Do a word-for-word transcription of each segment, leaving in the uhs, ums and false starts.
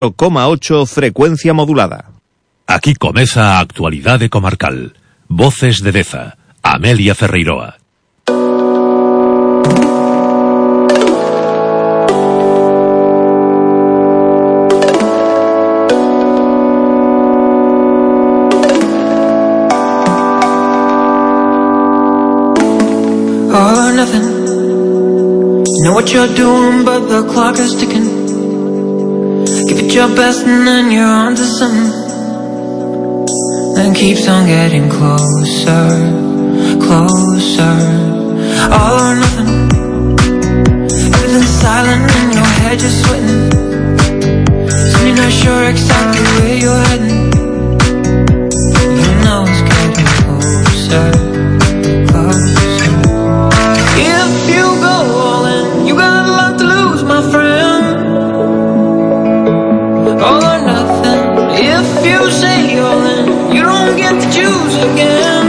cero coma ocho frecuencia modulada. Aquí comeza a actualidade comarcal. Voces de Deza, Amelia Ferreiroa. All or nothing. You know what you're doing, but the clock is ticking. Give it your best and then you're on to something. Then keeps on getting closer, closer. All or nothing. Everything's silent and your head just sweating. Soon you're not sure exactly where you're heading. You know it's getting closer, closer. If you go all in, you got a lot to lose, my friend. All or nothing. If you say all in, you don't get to choose again.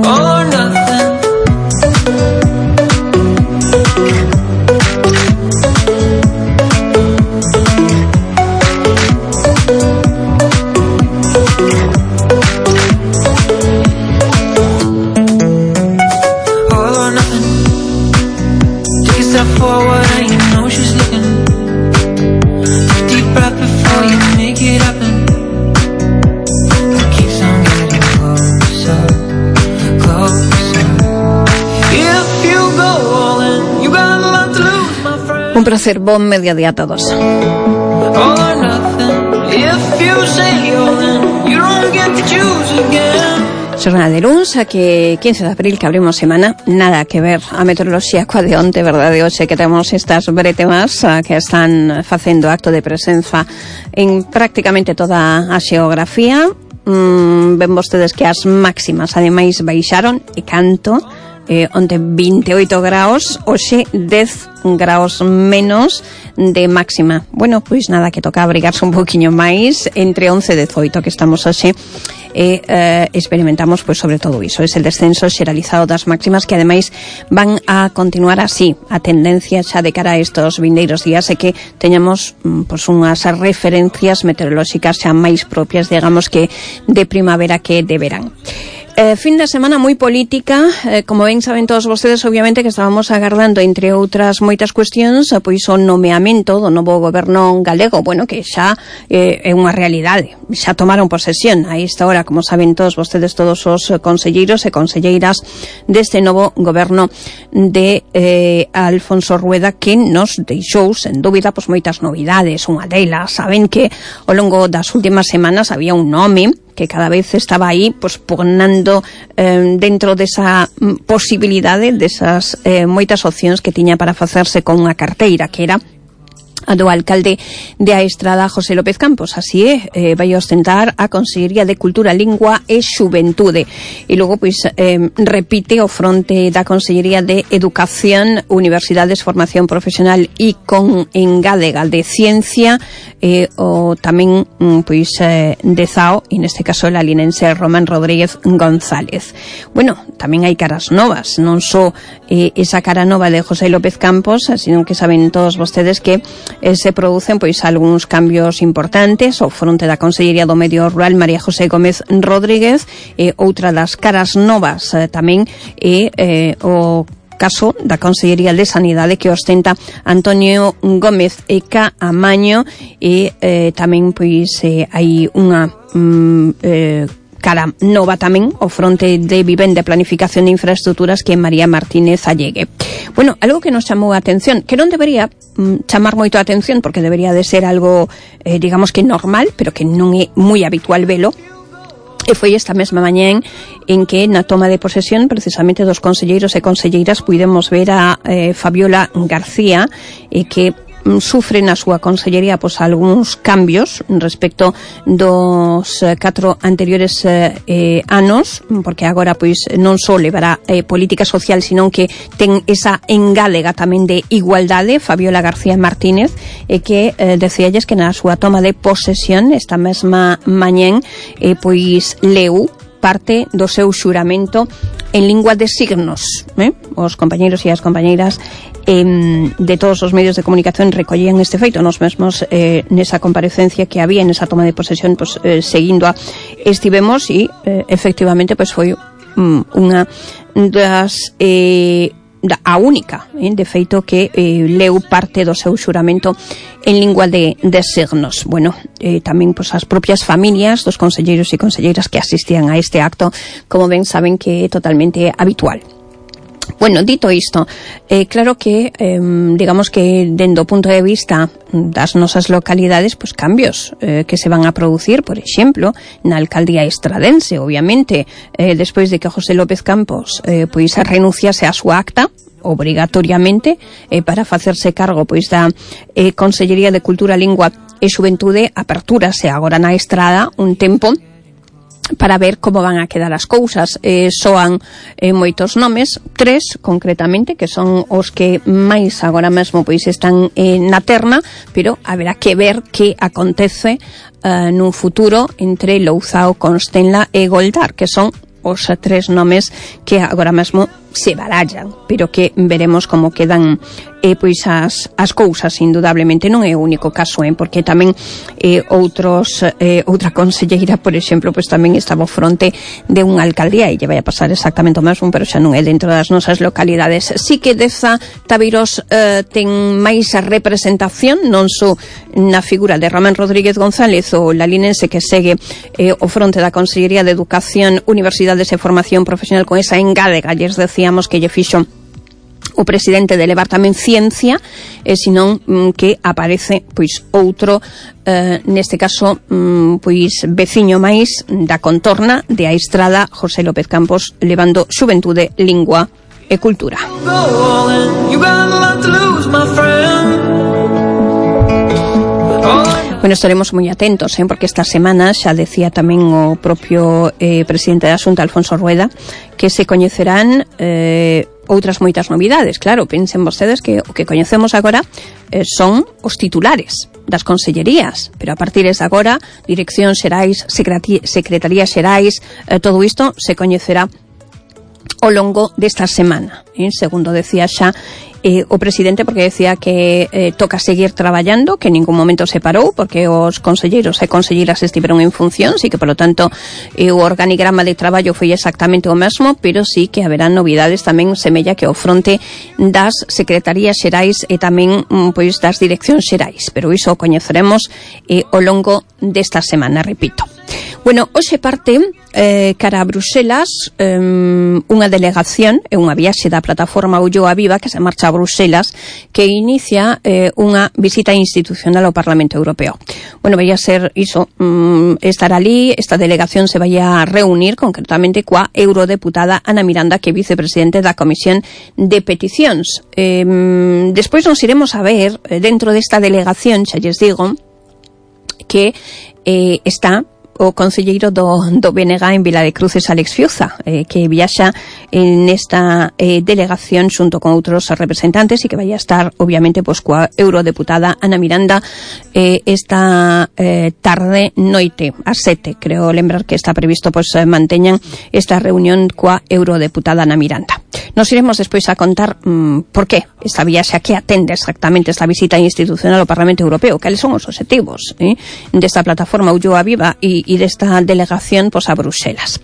All or nothing. All or nothing. Take a step forward and you know she's looking. Take a deep breath before you make it happen. It keeps on getting closer, closer. If you go all in, you got a lot to lose, my friend. Un placer, bon mediodía a todos. All or nothing. If you say all in, you don't get to choose again. Xornada de luns, que quince de abril, que abrimos semana, nada que ver a meteoroloxía coa de onte, verdade, hoxe que temos estas bretemas que están facendo acto de presenza en prácticamente toda a xeografía. Mm, ven vostedes que as máximas ademais baixaron e canto, eh, onte vinte e oito graus, hoxe dez graus menos de máxima. Bueno, pois nada, que toca abrigarse un poquinho máis, entre once e dezoito que estamos hoxe. E eh, experimentamos pois sobre todo iso, es el descenso xeralizado das máximas, que ademais van a continuar así. A tendencia xa de cara a estos vindeiros días é que teñamos pois unhas referencias meteorolóxicas xa máis propias, digamos, que de primavera que de verán. Eh, fin de semana moi política, eh, como ben saben todos vostedes, obviamente que estábamos agardando, entre outras moitas cuestións, pois o nomeamento do novo goberno galego, bueno, que xa eh, é unha realidade, xa tomaron posesión a esta hora, como saben todos vostedes, todos os conselleiros e conselleiras deste novo goberno de eh, Alfonso Rueda, que nos deixou, sen dúbida, pois moitas novidades. Unha delas, saben que ao longo das últimas semanas había un nome que cada vez estaba aí, pues, pugnando eh, dentro desa posibilidade, desas eh, moitas opcións que tiña para facerse con unha carteira, que era a do alcalde de A Estrada, José López Campos. Así é, eh, vai ostentar a Consellería de Cultura, Lingua e Xuventude. E logo, pois, eh, repite o fronte da Consellería de Educación, Universidades, Formación Profesional e con engádega de Ciencia, eh, o tamén, pois, eh, de Zao, e neste caso el alinense Román Rodríguez González. Bueno, tamén hai caras novas, non só eh, esa cara nova de José López Campos, sino que saben todos vostedes que Eh, se producen pois algúns cambios importantes ao fronte da Consellería do Medio Rural, María José Gómez Rodríguez. E outra das caras novas eh, tamén é eh, o caso da Consellería de Sanidade, que ostenta Antonio Gómez e Caamaño. E eh, tamén pois eh, hai unha mm, eh, cara nova tamén o fronte de Vivenda e Planificación de Infraestructuras, que é María Martínez Allegue. Bueno, algo que nos chamou a atención, que non debería mm, chamar moito a atención, porque debería de ser algo, eh, digamos que normal, pero que non é moi habitual velo, e foi esta mesma mañá en que na toma de posesión precisamente dos conselleiros e conselleiras puidemos ver a eh, Fabiola García, e que sufre na súa consellería pois algúns cambios respecto dos eh, catro anteriores eh, eh, anos, porque agora pois non só levará eh, política social, senón que ten esa engálega tamén de igualdade, Fabiola García Martínez, e que eh, decíalles que na súa toma de posesión esta mesma mañá eh, pois leu parte do seu xuramento en lingua de signos, eh? Os compañeiros e as compañeiras eh, de todos os medios de comunicación recollían este feito. Nos mesmos eh, nesa comparecencia que había, nesa toma de posesión, pues, eh, seguindo a estivemos e eh, efectivamente pues foi um, unha das eh, a única, eh, de feito, que eh, leu parte do seu xuramento en lingua de, de signos. Bueno, eh, tamén pues, as propias familias dos conselleiros e conselleiras que asistían a este acto, como ben saben que é totalmente habitual. Bueno, dito isto, eh, claro que, eh, digamos que dendo o punto de vista das nosas localidades, pues cambios eh, que se van a producir, por exemplo, na alcaldía estradense, obviamente, eh, despois de que José López Campos eh, pois renunciase a súa acta, obrigatoriamente, eh, para facerse cargo pois da eh, Consellería de Cultura, Lingua e Xuventude, apertúrase agora na Estrada un tempo para ver como van a quedar as cousas. Eh, soan eh, moitos nomes, tres concretamente, que son os que máis agora mesmo pois están eh, na terna, pero haberá que ver que acontece eh, nun futuro entre Louzao, Constenla e Goldar, que son os tres nomes que agora mesmo se barallan, pero que veremos como quedan eh, pois as, as cousas. Indudablemente non é o único caso, eh, porque tamén eh, outros eh, outra conselleira, por exemplo, pois tamén estaba ao fronte de unha alcaldía e lle vai a pasar exactamente o mesmo, pero xa non é dentro das nosas localidades. Si que Deza Tabeiros eh, ten máis representación, non só na figura de Ramón Rodríguez González, o lalinense que segue eh, o fronte da Consellería de Educación, Universidades e Formación Profesional, con esa engádega, lles decíamos que lle fixo o presidente de levar tamén ciencia, e senón mm, que aparece pois outro, eh, neste caso mm, pois veciño máis da contorna de a Estrada, José López Campos, levando xuventude, lingua e cultura. Bueno, estaremos moi atentos, eh, porque esta semana xa decía tamén o propio eh, presidente da Xunta, Alfonso Rueda, que se coñecerán eh, outras moitas novidades. Claro, pensen vostedes que o que coñecemos agora eh, son os titulares das consellerías, pero a partir de agora, direccións xerais, secretarías xerais, eh, todo isto se coñecerá ao longo desta semana, eh, segundo decía xa eh, o presidente, porque decía que eh, toca seguir traballando, que en ningún momento se parou, porque os conselleiros e conselleiras estiveron en función, sí que, por lo tanto, eh, o organigrama de traballo foi exactamente o mesmo, pero sí que haberá novidades tamén, semella que ao fronte das secretarías xerais e tamén pois das direccións xerais, pero iso o coñeceremos eh, ao longo desta semana, repito. Bueno, hoxe parte eh, cara a Bruxelas eh, unha delegación e unha viaxe da plataforma Ulloa Viva que se marcha a Bruxelas, que inicia eh, unha visita institucional ao Parlamento Europeo. Bueno, vai a ser iso, um, estar ali, esta delegación se vai a reunir concretamente coa eurodeputada Ana Miranda, que é vicepresidente da Comisión de Peticións. Eh, despois nos iremos a ver, eh, dentro desta delegación, xa lles digo, que eh, está o conselleiro do, do B N G en Vila de Cruces, Alex Fiuza, eh, que viaxa en esta eh, delegación xunto con outros representantes e que vai a estar, obviamente, pois, coa eurodeputada Ana Miranda eh, esta eh, tarde noite, a sete, creo lembrar que está previsto, pois, eh, manteñan esta reunión coa eurodeputada Ana Miranda. Nos iremos despois a contar mm, por que esta viaxe, a que atende exactamente esta visita institucional ao Parlamento Europeo, cales son os objetivos eh, desta plataforma Ulloa Viva e e desta delegación pois, a Bruxelas.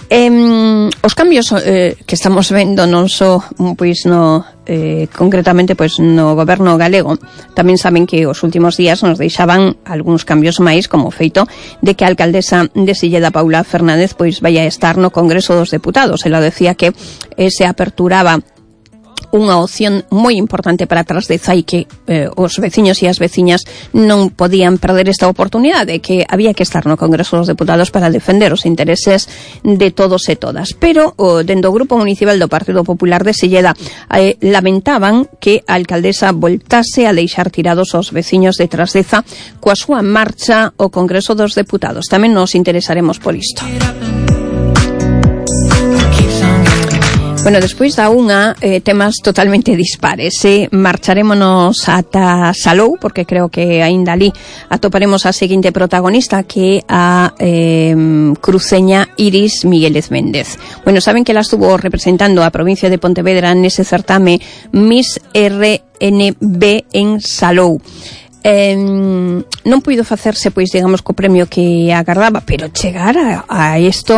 Eh, os cambios eh, que estamos vendo non só pois no eh, concretamente pois no goberno galego, tamén saben que os últimos días nos deixaban algúns cambios máis, como o feito de que a alcaldesa de Silleda, Paula Fernández, pois vai a estar no Congreso dos Deputados. Ela decía que eh, se aperturaba unha opción moi importante para Trasdeza e que eh, os veciños e as veciñas non podían perder esta oportunidade, que había que estar no Congreso dos Deputados para defender os intereses de todos e todas. Pero o, dentro do Grupo Municipal do Partido Popular de Silleda eh, lamentaban que a alcaldesa voltase a deixar tirados os veciños de Trasdeza coa súa marcha ao Congreso dos Deputados. Tamén nos interesaremos por isto. Bueno, despois da unha, eh, temas totalmente dispares. Eh? Marcharémonos ata Salou, porque creo que aínda ali atoparemos a seguinte protagonista, que a eh, cruceña Iris Migueles Méndez. Bueno, saben que ela estuvo representando a provincia de Pontevedra nese certame Miss R N B en Salou. Eh, non puido facerse, pois, digamos, co premio que agardaba, pero chegar a, a isto,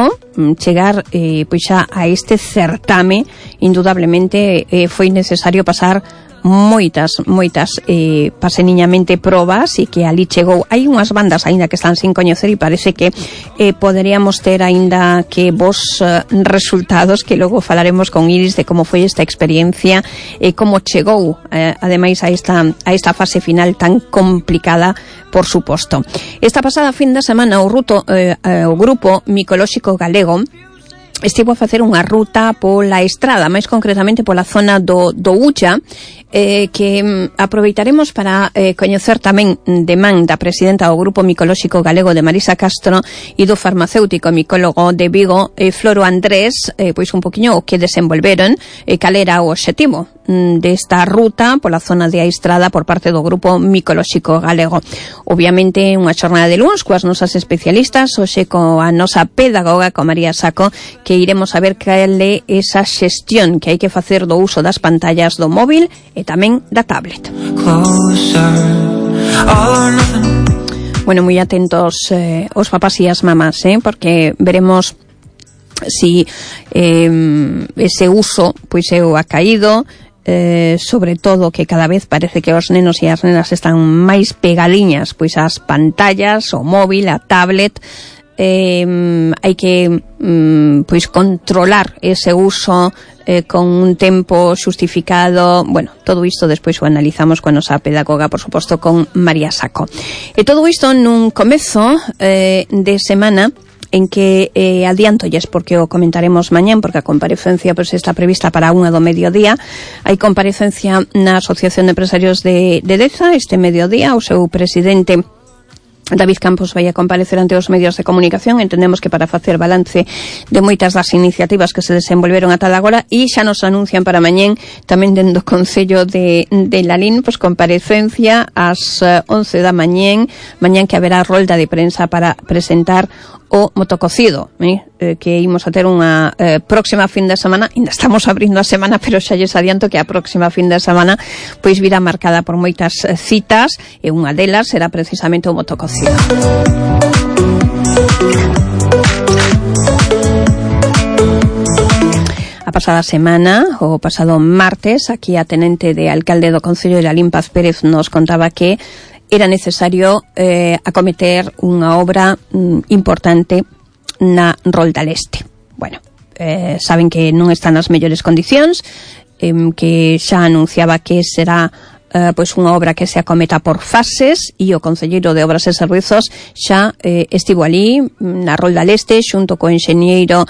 chegar, eh, pois, xa a este certame, indudablemente eh, foi necesario pasar moitas, moitas eh, paseniñamente probas, e que ali chegou. Hai unhas bandas aínda que están sin coñecer, e parece que eh, poderíamos ter aínda que vos eh, resultados, que logo falaremos con Iris de como foi esta experiencia e eh, como chegou eh, ademais a esta, a esta fase final tan complicada, por suposto. Esta pasada fin de semana o, ruto, eh, eh, o grupo micolóxico galego estivo a facer unha ruta pola estrada, máis concretamente pola zona do, do Ulla, eh, que mm, aproveitaremos para eh, coñecer tamén de man da presidenta do Grupo Micolóxico Galego de Marisa Castro e do farmacéutico micólogo de Vigo, eh, Floro Andrés, eh, pois un poquinho o que desenvolveron, eh, cal era o obxectivo mm, desta ruta pola zona de Estrada por parte do Grupo Micolóxico Galego. Obviamente unha xornada de luns coas nosas especialistas, hoxe coa nosa pedagoga, con María Saco, que iremos a ver cal é esa xestión que hai que facer do uso das pantallas do móvil e tamén da tablet. Bueno, moi atentos eh, os papás e as mamás, eh, porque veremos si eh, ese uso pois é o acaído, eh, sobre todo que cada vez parece que os nenos e as nenas están máis pegaliñas pois ás pantallas, o móvil, a tablet. Eh, hai que mm, pois controlar ese uso eh, con un tempo xustificado. Bueno, todo isto despois o analizamos coa nosa pedagoga, por suposto, con María Saco. E todo isto nun comezo eh, de semana en que eh, adiantolles, porque o comentaremos mañán, porque a comparecencia pois, está prevista para unha do mediodía. Hai comparecencia na Asociación de Empresarios de, de Deza este mediodía. O seu presidente David Campos vai a comparecer ante os medios de comunicación. Entendemos que para facer balance de moitas das iniciativas que se desenvolveron ata agora, e xa nos anuncian para mañén tamén dentro do Concello de, de Lalín, pois comparecencia ás once da mañén, mañán que haberá rolda de prensa para presentar o motococido, eh, eh, que imos a ter unha eh, próxima fin de semana. Ainda estamos abrindo a semana, pero xa lles adianto que a próxima fin de semana pois virá marcada por moitas eh, citas, e unha delas será precisamente o motococido. A pasada semana, o pasado martes, aquí a tenente de alcalde do Concello de Lalín, Paz Pérez, nos contaba que era necesario eh, acometer unha obra mm, importante na Rolda Leste. Bueno, eh, saben que non están nas mellores condicións, eh, que xa anunciaba que será eh, pois unha obra que se acometa por fases, e o concelleiro de Obras e Servizos xa eh, estivo ali na Rolda Leste xunto co enxeñeiro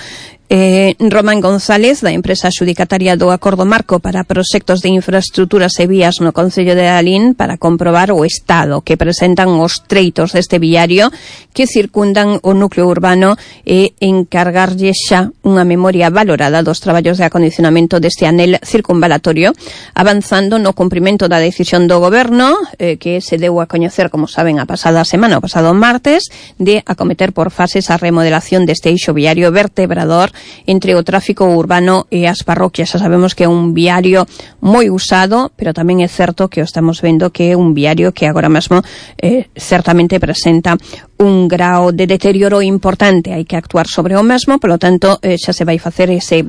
Eh, Román González, da empresa xudicataria do Acordo Marco para proxectos de infraestructuras e vías no Concello de Lalín, para comprobar o estado que presentan os treitos deste viario que circundan o núcleo urbano, e encargarlle xa unha memoria valorada dos traballos de acondicionamento deste anel circunvalatorio, avanzando no cumprimento da decisión do Goberno, eh, que se deu a coñecer, como saben, a pasada semana, o pasado martes, de acometer por fases a remodelación deste eixo viario vertebrador entre o tráfico urbano e as parroquias. Xa sabemos que é un viario moi usado, pero tamén é certo que o estamos vendo que é un viario que agora mesmo eh, certamente presenta un grao de deterioro importante. Hai que actuar sobre o mesmo, polo tanto eh, xa se vai facer ese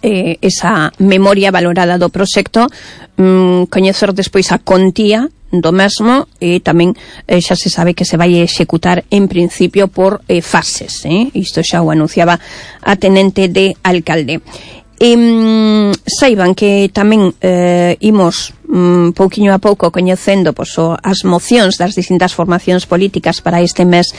eh, esa memoria valorada do proxecto, mm, coñecer despois a contía do mesmo, e tamén eh, xa se sabe que se vai executar en principio por eh, fases, eh? Isto xa o anunciaba a tenente de alcalde. E, mm, saiban que tamén eh, imos um, pouquiño a pouco coñecendo pois, o, as mocións das distintas formacións políticas para este mes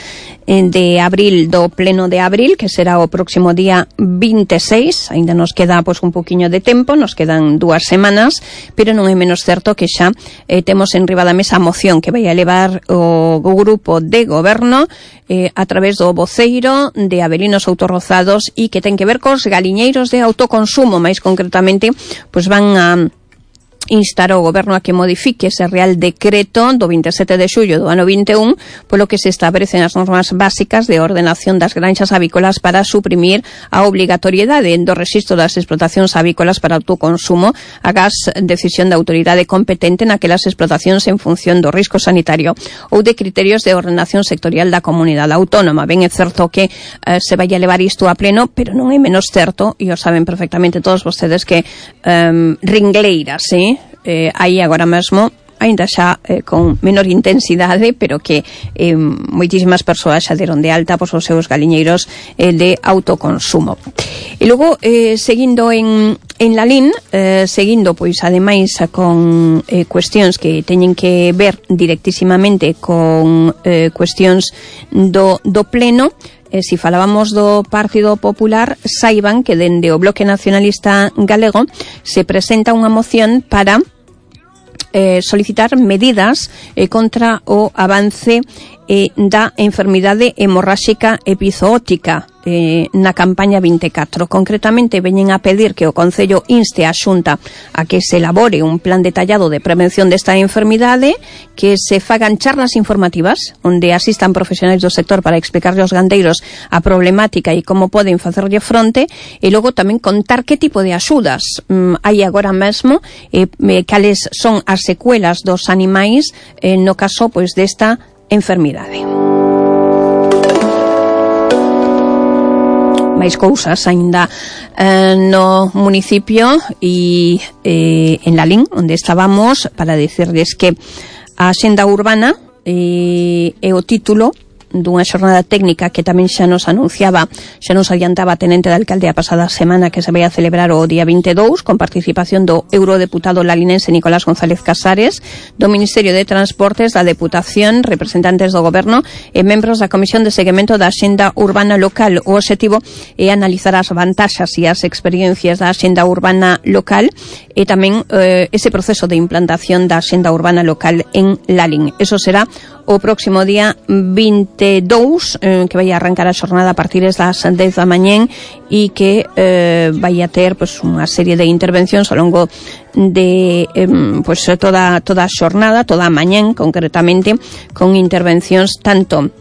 eh, de abril, do pleno de abril, que será o próximo día vinte e seis. Ainda nos queda pois, un pouquiño de tempo, nos quedan dúas semanas, pero non é menos certo que xa eh, temos en riba da mesa a moción que vai a levar o, o grupo de goberno eh, a través do voceiro de Avelino Souto Rozados e que ten que ver cos galiñeiros de autoconsumo. Máis concretamente, pois van a instar o goberno a que modifique ese Real Decreto do vinte e sete de xullo do ano vinte e un, polo que se establecen as normas básicas de ordenación das granxas avícolas para suprimir a obrigatoriedade do rexistro das explotacións avícolas para autoconsumo agás decisión da autoridade competente naquelas explotacións en función do risco sanitario ou de criterios de ordenación sectorial da comunidade autónoma. Ben, é certo que eh, se vai a levar isto a pleno, pero non é menos certo, e o saben perfectamente todos vostedes, que eh, ringleiras, eh? Eh, aí agora mesmo aínda xa eh, con menor intensidade, pero que eh, moitísimas persoas xa deron de alta pois, os seus galiñeiros eh, de autoconsumo. E logo, eh, seguindo en, en Lalín, eh, seguindo, pois, ademais, con eh, cuestións que teñen que ver directísimamente con eh, cuestións do, do pleno. Eh, si falábamos do Partido Popular, saiban que dende o Bloque Nacionalista Galego se presenta unha moción para eh, solicitar medidas eh, contra o avance eh, da enfermidade hemorráxica epizootica eh, na campaña vinte e catro. Concretamente, veñen a pedir que o Concello inste a Xunta a que se elabore un plan detallado de prevención desta enfermidade, que se fagan charlas informativas onde asistan profesionais do sector para explicarle aos gandeiros a problemática e como poden facerlle fronte, e logo tamén contar que tipo de axudas mm, hai agora mesmo, eh, cales son as secuelas dos animais eh, no caso pois desta enfermidade. Máis cousas aínda eh, no municipio e eh, en Lalín, onde estábamos, para dicirles que a Axenda Urbana eh, é o título dunha xornada técnica que tamén xa nos anunciaba, xa nos adiantaba a tenente de alcalde a pasada semana, que se vai a celebrar o día vinte e dous, con participación do eurodeputado lalinense Nicolás González Casares, do Ministerio de Transportes, da Deputación, representantes do Goberno e membros da Comisión de Seguimento da Axenda Urbana Local. O obxectivo é analizar as vantaxas e as experiencias da Axenda Urbana Local e tamén eh, ese proceso de implantación da Axenda Urbana Local en Lalín. Eso será o próximo día vinte e dous, eh, que vai a arrancar a xornada a partir das dez da mañén e que eh, vai a ter pues, unha serie de intervencións ao longo de eh, pues, toda, toda a xornada, toda a mañén concretamente, con intervencións tanto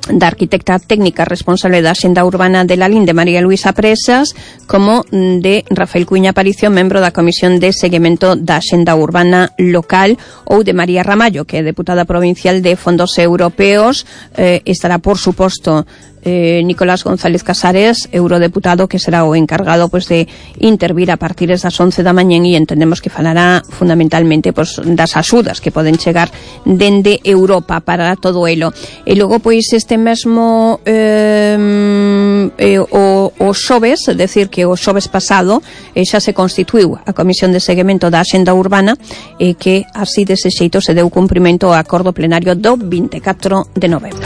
da arquitecta técnica responsable da Axenda Urbana de Lalín, de María Luisa Presas, como de Rafael Cuña Aparicio, membro da Comisión de Seguimento da Axenda Urbana Local, ou de María Ramallo, que é deputada provincial de Fondos Europeos. Eh, estará, por suposto, Eh, Nicolás González Casares, eurodeputado, que será o encargado pues, de intervir a partir das once da mañén, e entendemos que falará fundamentalmente pues, das axudas que poden chegar dende Europa para todo elo. E logo, pois, este mesmo eh, eh, o, o xoves, é dicir, que o xoves pasado eh, xa se constituiu a Comisión de Seguimento da Axenda Urbana, e eh, que así dese xeito se deu cumprimento ao acordo plenario do vinte e catro de novembro.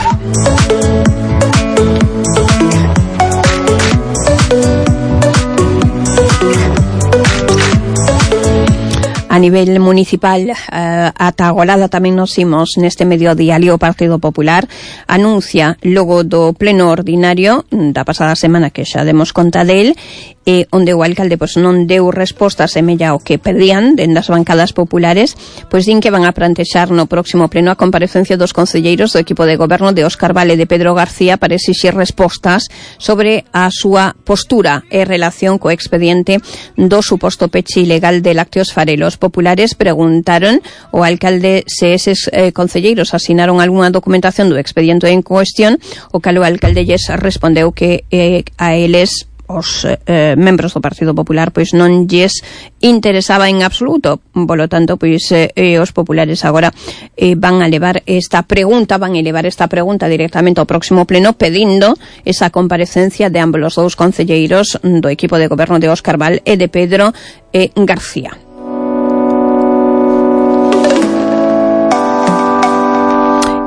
A nivel municipal, eh, ata agolada tamén nos imos neste mediodía. O Partido Popular anuncia logo do pleno ordinario da pasada semana, que xa demos conta del, e onde o alcalde pois, non deu resposta semella ao que pedían dende as bancadas populares, pois din que van a plantexar no próximo pleno a comparecencia dos concelleiros do equipo de goberno de Óscar Vale e de Pedro García para exixir respostas sobre a súa postura e relación co expediente do suposto peche ilegal de lácteos farelos. Populares preguntaron ao alcalde se eses eh, concelleiros asinaron algunha documentación do expediente en cuestión, o cal o alcalde lles respondeu que eh, a eles os eh, membros do Partido Popular pois non lles interesaba en absoluto. Polo tanto, pois eh, os populares agora eh, van a levar esta pregunta, van a elevar esta pregunta directamente ao próximo pleno, pedindo esa comparecencia de ambos os dous concelleiros do equipo de goberno de Óscar Val e de Pedro eh, García.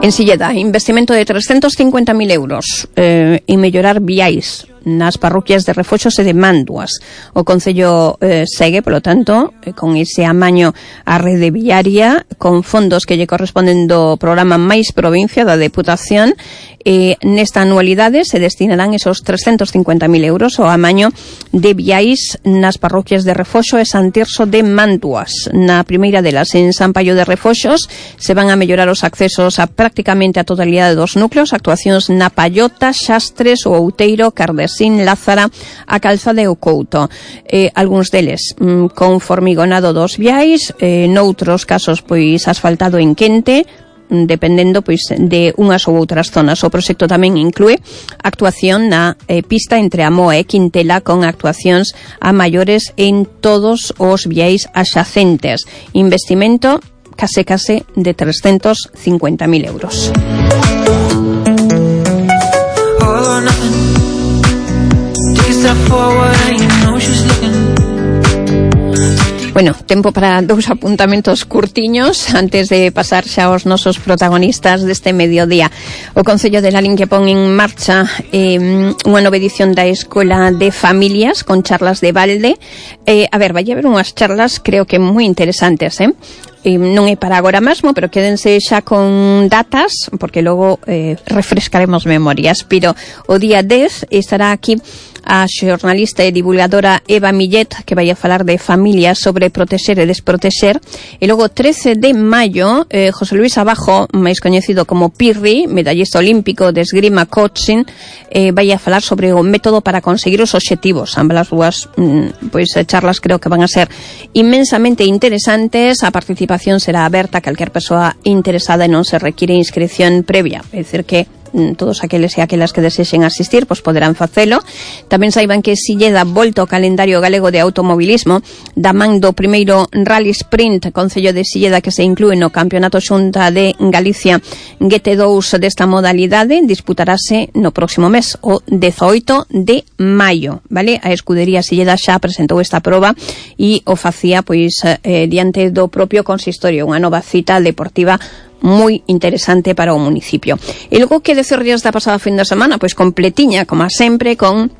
En Silleda, investimento de trescentos cincuenta mil euros eh, en mellorar viais nas parroquias de Refoxos e de Manduas. O Concello eh, segue, polo tanto, eh, con ese amaño á rede viaria, con fondos que lle corresponden do programa Mais Provincia da Deputación. Eh, nesta anualidade se destinarán esos trescentos cincuenta mil euros ao amaño de viais nas parroquias de Refoxo e San Tirso de Manduas. Na primeira delas, en San Paio de Refoxos, se van a mellorar os accesos a prácticamente a totalidade dos núcleos, actuacións na Pallota, Xastres, o Outeiro, Cardesín, Lázara, a Calzada e o Couto. Eh, algúns deles mm, con formigonado dos viais, eh, noutros casos pois asfaltado en quente, dependendo pois de unhas ou outras zonas. O proxecto tamén inclúe actuación na eh, pista entre Amoa e Quintela, con actuacións a maiores en todos os viais axacentes. Investimento case case de trescentos cincuenta mil euros. Bueno, tempo para dous apuntamentos curtiños antes de pasar xa aos nosos protagonistas deste mediodía. O Concello de Lalín que pon en marcha eh, unha nova edición da Escola de Familias con charlas de balde. Eh, a ver, vai haber unhas charlas creo que moi interesantes, eh? Eh, non é para agora mesmo, pero quédense xa con datas, porque logo eh, refrescaremos memorias. Pero o día dez estará aquí a xornalista e divulgadora Eva Millet, que vai a falar de familias, sobre protexer e desprotexer. E logo trece de maio, eh, José Luis Abajo, máis coñecido como Pirri, medallista olímpico de esgrima coaching, eh, vai a falar sobre o método para conseguir os obxectivos. Ambas as dúas mm, pois, charlas creo que van a ser inmensamente interesantes. A participación será aberta a calquer persoa interesada e non se require inscripción previa. É dicir que todos aqueles e aquelas que desexen asistir pois poderán facelo. Tamén saiban que Silleda volta ao calendario galego de automobilismo da man do primeiro Rally Sprint Concello de Silleda, que se inclúe no Campeonato Xunta de Galicia G T dous desta modalidade. Disputarase no próximo mes, o dezoito de maio, vale? A Escudería Silleda xa presentou esta proba e o facía pois eh, diante do propio consistorio, unha nova cita deportiva moi interesante para o municipio. E logo que decirlles da pasada fin de semana, pois completiña, como sempre, con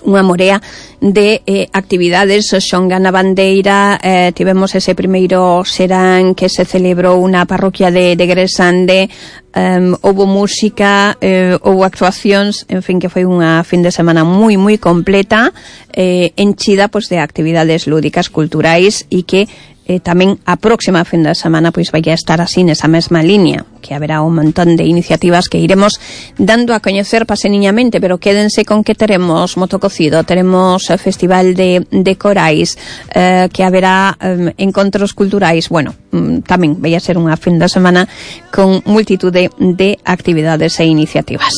unha morea de eh, actividades. Xonga na Bandeira, eh, tivemos ese primeiro serán que se celebrou na parroquia de, de Gresande, um, houve música, eh, houve actuacións, en fin, que foi unha fin de semana moi, moi completa, eh, enchida pois, de actividades lúdicas, culturais, e que Eh, tamén a próxima fin de semana pois vai a estar así nesa mesma línea, que haberá un montón de iniciativas que iremos dando a coñecer paseniñamente, pero quédense con que teremos motococido, teremos eh, festival de, de corais, eh, que haberá eh, encontros culturais. Bueno, mm, tamén vai a ser unha fin de semana con multitude de actividades e iniciativas.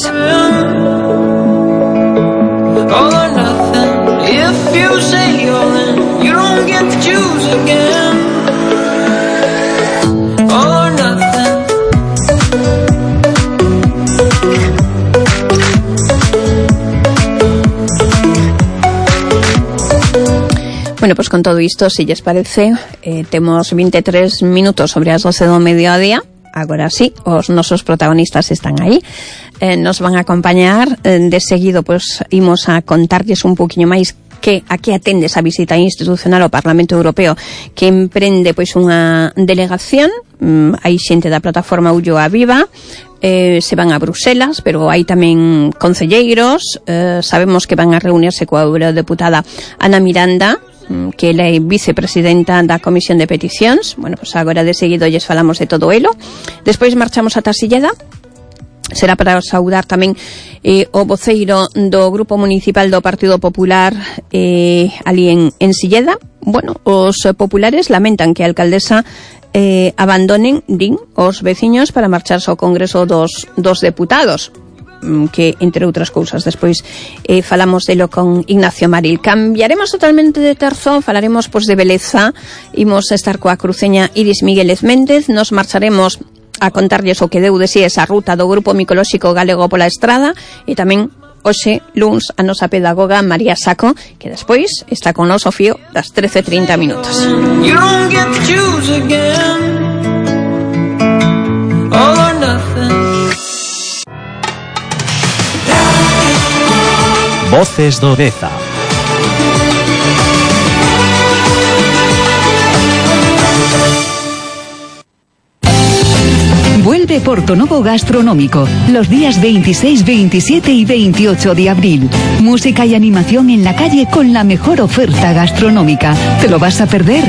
All or nothing, if you say all in, you don't get to choose again. Bueno, pues con todo isto, si lles parece, eh, temos vinte e tres minutos sobre as doce do mediodía. Agora sí, os nosos protagonistas están aí. Eh, nos van a acompañar. Eh, de seguido, pues, imos a contarlles un poquinho máis que a que atende esa visita institucional ao Parlamento Europeo, que emprende pois unha delegación. Mm, hai xente da plataforma Ulloa Viva, eh, se van a Bruselas, pero hai tamén concelleiros. Eh, sabemos que van a reunirse coa eurodeputada Ana Miranda, que ela é vicepresidenta da Comisión de Peticións. Bueno, pues agora de seguido lles falamos de todo elo. Despois marchamos ata Silleda. Será para saudar tamén eh, o voceiro do Grupo Municipal do Partido Popular eh, ali en, en Silleda. Bueno, os populares lamentan que a alcaldesa eh, abandonen, din, os veciños para marcharse ao Congreso dos, dos Deputados, que, entre outras cousas, despois eh, falamos delo con Ignacio Maril. Cambiaremos totalmente de terzo, falaremos pois de beleza, imos estar coa cruceña Iris Migueles Méndez, nos marcharemos a contarlles o que deu de si esa ruta do Grupo Micolóxico Galego pola Estrada, e tamén hoxe, luns, a nosa pedagoga María Saco, que despois está con nos o fío das trece e trinta minutos. You don't get to choose again. All or nothing. Voces do Deza. Vuelve Portonovo Gastronómico los días veintiséis, veintisiete y veintiocho de abril. Música y animación en la calle con la mejor oferta gastronómica. ¿Te lo vas a perder?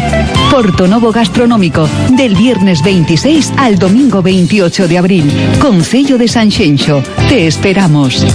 Portonovo Gastronómico, del viernes veintiséis al domingo veintiocho de abril. Concello de Sanxenxo. Te esperamos.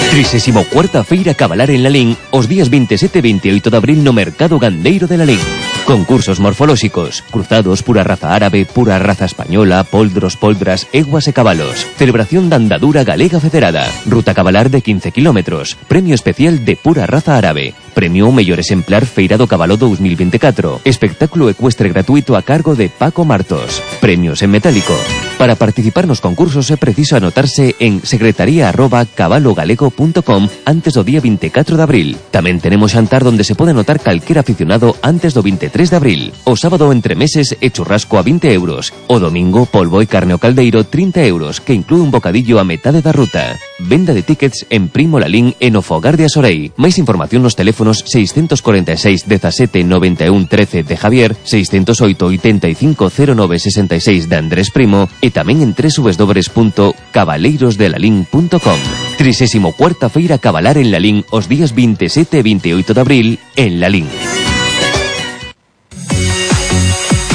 trisésimo cuarta Feira Cabalar en Lalín os días veintisiete e veintiocho de abril no Mercado Gandeiro de Lalín. Concursos morfolóxicos, cruzados, pura raza árabe, pura raza española, poldros, poldras, eguas e cabalos. Celebración da andadura galega federada. Ruta cabalar de quince kilómetros. Premio especial de pura raza árabe. Premio ao mellor exemplar Feira do Cabalo dos mil veinticuatro. Espectáculo ecuestre gratuito a cargo de Paco Martos. Premios en metálico. Para participar nos concursos é preciso anotarse en secretaría arroba cabalogalego punto com antes do día veinticuatro de abril. Tamén tenemos xantar donde se pode anotar calquer aficionado antes do veintitrés de abril. O sábado entre meses e churrasco a vinte euros. O domingo polvo e carne ao caldeiro trinta euros, que inclúe un bocadillo a metade da ruta. Venda de tickets en Primo Lalín e no Fogar de Asorei. Máis información nos teléfonos seiscentos cuarenta e seis dezasete noventa e un trece de Javier, seiscentos oito oitenta e cinco cero nove sesenta e seis de Andrés Primo e tamén en doble u doble u doble u punto cabaleiros de lalín punto com. trisésimo cuarta Feira Cabalar en Lalín os días veintisiete e veintiocho de abril en Lalín.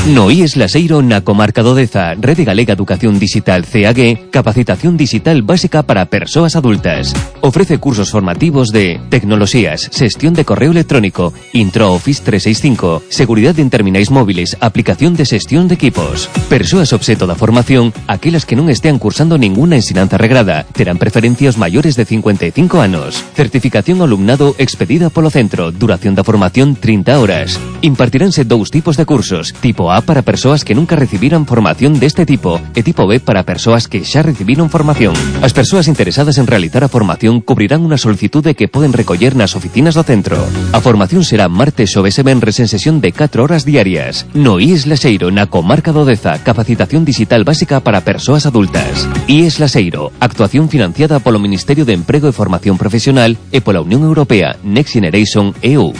No I E S Laseiro na comarca do Deza, Rede Galega Educación Digital C A G, capacitación digital básica para persoas adultas. Ofrece cursos formativos de tecnoloxías, xestión de correo electrónico, Intro Office trescientos sesenta y cinco, seguridade en terminais móviles, aplicación de xestión de equipos. Persoas obxeto da formación, aquelas que non estean cursando ninguna ensinanza regrada, terán preferencia os maiores de cincuenta e cinco anos. Certificación ao alumnado expedida polo centro, duración da formación trinta horas. Impartiránse dous tipos de cursos, tipo A para persoas que nunca recibiran formación deste tipo e tipo B para persoas que xa recibiron formación. As persoas interesadas en realizar a formación cubrirán unha solicitude que poden recoller nas oficinas do centro. A formación será martes, xoves e venres en sesión de catro horas diarias. No I E S Laseiro, na comarca do Deza, capacitación digital básica para persoas adultas. I E S Laseiro, actuación financiada polo Ministerio de Emprego e Formación Profesional e pola Unión Europea Next Generation E U.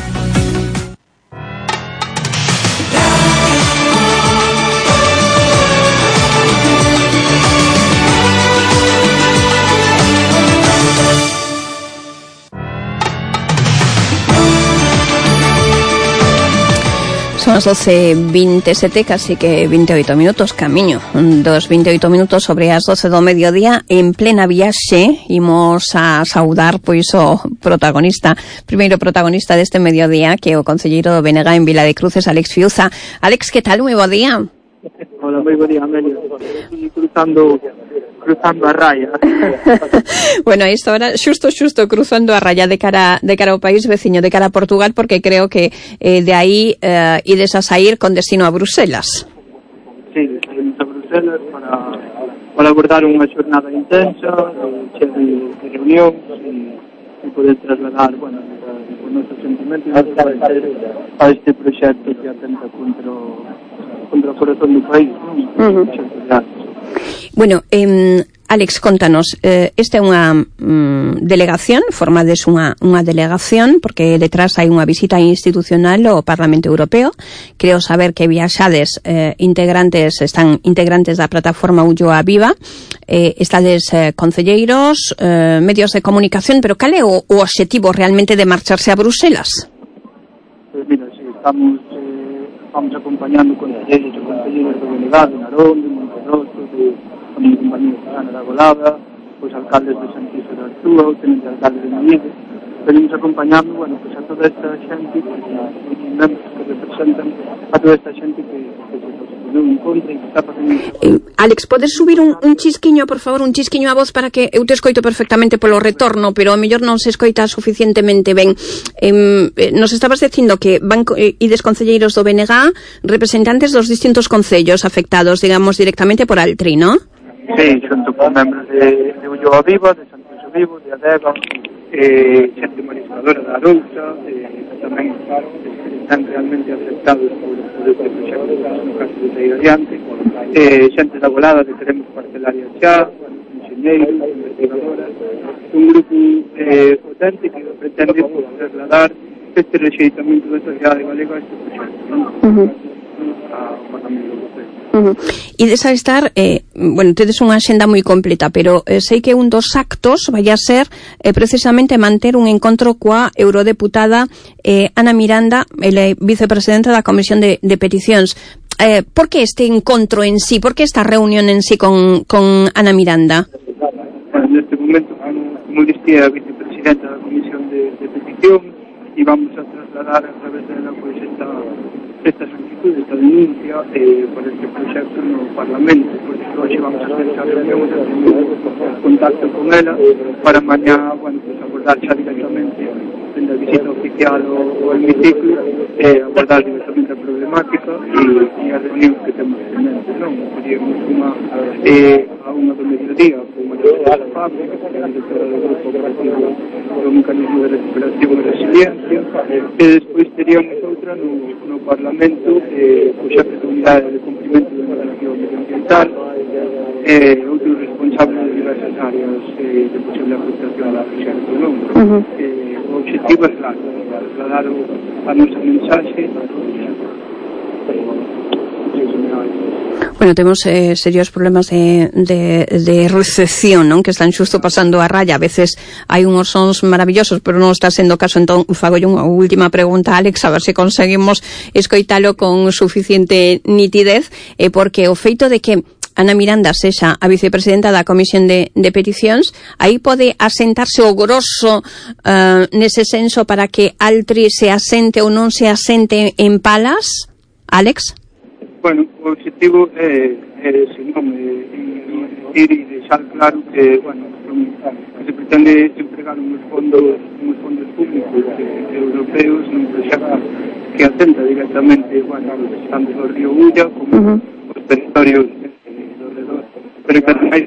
Son as doce e veintisiete, casi que veintiocho minutos, camiño dos veintiocho minutos sobre as doce do mediodía. En plena viaxe imos a saudar pois o protagonista, primeiro protagonista deste mediodía, que é o concelleiro do B N G en Vila de Cruces, Alex Fiuza. Alex, que tal? Moi bo día. Hola, moi bo día, Amelio. Estoy cruzando cruzando a raya. Bueno, isto ahora xusto xusto cruzando a raya de cara de cara ao país veciño, de cara a Portugal, porque creo que eh, de aí eh, ides a sair con destino a Bruselas. Sí, saímos a Bruselas para para abordar unha xornada intensa, chea de, de reunións e, e poder trasladar, bueno, os nosos sentimentos a este proxecto que atenta contra o, contra o corazón do país, non? Uh-huh. Bueno, eh, Alex, contanos, eh, esta é unha mm, delegación, formades unha, unha delegación, porque detrás hai unha visita institucional ao Parlamento Europeo. Creo saber que viaxades eh, integrantes, están integrantes da plataforma Ulloa Viva, eh, estades eh, concelleiros, eh, medios de comunicación, pero cal é o, o obxectivo realmente de marcharse a Bruselas? Pues mira, sí, estamos, eh, estamos acompañando concelleiros e concelleiras do B N G, de Narón, de Monterroso, de a mi compañía Susana da Golada, os alcaldes de Santiago da Artúa, o tenente alcalde de Mallide. Venimos acompañando, bueno, pues a toda esta xente, os membros que representan a toda esta xente que, que se posicionou en contra e que está facendo... Eh, Alex, podes subir un, un chisquiño, por favor, un chisquiño a voz para que eu te escoito perfectamente polo retorno, pero ao mellor non se escoita suficientemente ben. Eh, nos estabas dicindo que van eh, ides concelleiros do B N G, representantes dos distintos concellos afectados, digamos, directamente por Altri, ¿no? Sí, xunto con membros de, de Ulloa Viva, de Santiago Vivo, de Adega, eh, xente mariscadora da Arousa, eh, tamén están realmente afectados por, por este proxecto, no caso de sair adiante, eh, xente da Golada que queremos parcelaria xa, bueno, enxeñeiros, investigadoras, un grupo eh, potente que pretende pues, trasladar este rexeitamento da sociedade galega a este proxecto, non? Uh-huh. Ao Parlamento Europeo. Uh-huh. E desa estar, eh, bueno, tedes unha axenda moi completa, pero eh, sei que un dos actos vai a ser eh, precisamente manter un encontro coa eurodeputada eh, Ana Miranda, ela é vicepresidenta da Comisión de, de Peticións. Eh, por que este encontro en sí? Por que esta reunión en sí con, con Ana Miranda? Bueno, neste momento, como, como dicía a vicepresidenta da Comisión de, de Peticións, e vamos a trasladar a través dela pues, esta, esta solicitud, esta denuncia eh, por este proxecto no Parlamento. Por iso hoxe vamos a hacer esa reunión, a contacto con ela para mañá, bueno, pues, abordar xa directamente en la visita oficial o hemiciclo, eh, abordar directamente a problemática e, e a reunión que temos pendente, non? Seríamos unha eh, a unha do mediodía con a directora da fábrica, a directora do grupo operativo do mecanismo de recuperación e resiliencia, e despois teríamos outra no, no Parlamento, eh, o xefe de unidade de cumprimento da normativa medioambiental, eh, outros responsables de diversas áreas eh, de posible afectación ao proxecto, non? Uh-huh. Eh, o objetivo é claro, trasladar a nosa mensaxe. Bueno, temos eh, serios problemas de, de, de recepción, non? Que están xusto pasando a raya. A veces hai unhos sons maravillosos, pero non está sendo caso. Entón, fago unha última pregunta, Alex, a ver se conseguimos escoitalo con suficiente nitidez, eh, porque o feito de que Ana Miranda sexa a vicepresidenta da Comisión de, de Peticións, aí pode asentarse o grosso uh, nese senso para que Altri se asente ou non se asente en Palas, Alex? Bueno, o objetivo é, é ese, non, é dicir e deixar claro que, bueno, que se pretende empregar uns fondos, uns fondos públicos eh, europeos nun proxecto que atenta directamente, bueno, tanto do río Ulla como uh-huh. os territorios eh, do redor, pero que ademais...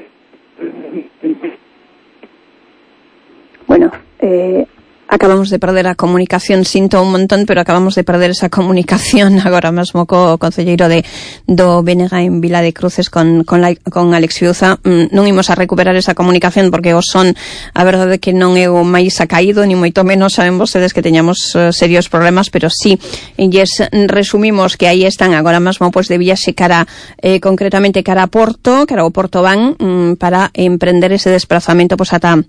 Bueno, eh... acabamos de perder a comunicación, sinto un montón, pero acabamos de perder esa comunicación agora mesmo co concelleiro de do B N G en Vila de Cruces con con, la, con Alex Fiuza. Mm, non imos a recuperar esa comunicación porque o son, a verdade que non é o máis acaído, ni moito menos, saben vostedes que teñamos uh, serios problemas, pero sí, lles resumimos que aí están agora mesmo pois de viaxe cara, eh, concretamente cara a Porto, cara ao Porto van, mm, para emprender ese desplazamento pois ata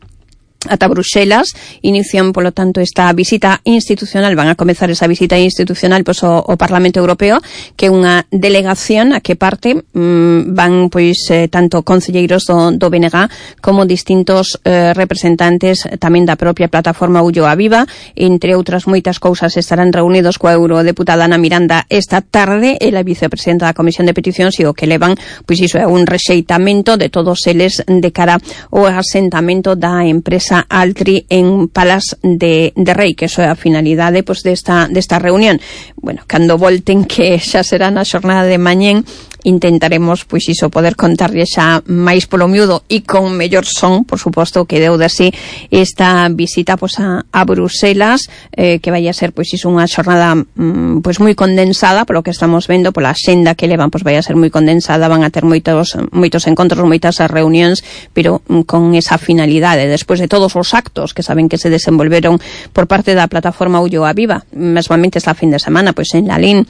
ata Bruxelas. Inician, polo tanto, esta visita institucional, van a comezar esa visita institucional pois o, o Parlamento Europeo, que é unha delegación a que parte mmm, van pois eh, tanto concelleiros do, do B N G como distintos eh, representantes tamén da propia plataforma Ulloa Viva. Entre outras moitas cousas estarán reunidos coa eurodeputada Ana Miranda esta tarde, ela vicepresidenta da Comisión de Peticións, e o que levan pois iso é un rexeitamento de todos eles de cara ao asentamento da empresa Altri en Palas de, de Rei, que eso é a finalidade pois, desta, desta reunión. Bueno, cando volten, que xa será na xornada de mañén, intentaremos, pois iso, poder contarlle xa máis polo miúdo e con mellor son, por suposto, que deu de así esta visita pois, a, a Bruselas, eh, que vai a ser, pois iso, unha xornada mm, pois moi condensada, polo que estamos vendo, pola xenda que levan, pois vai a ser moi condensada, van a ter moitos, moitos encontros, moitas reunións, pero mm, con esa finalidade, despois de todos os actos que saben que se desenvolveron por parte da plataforma Ulloa Viva, mesmamente esta fin de semana, pois en Lalín,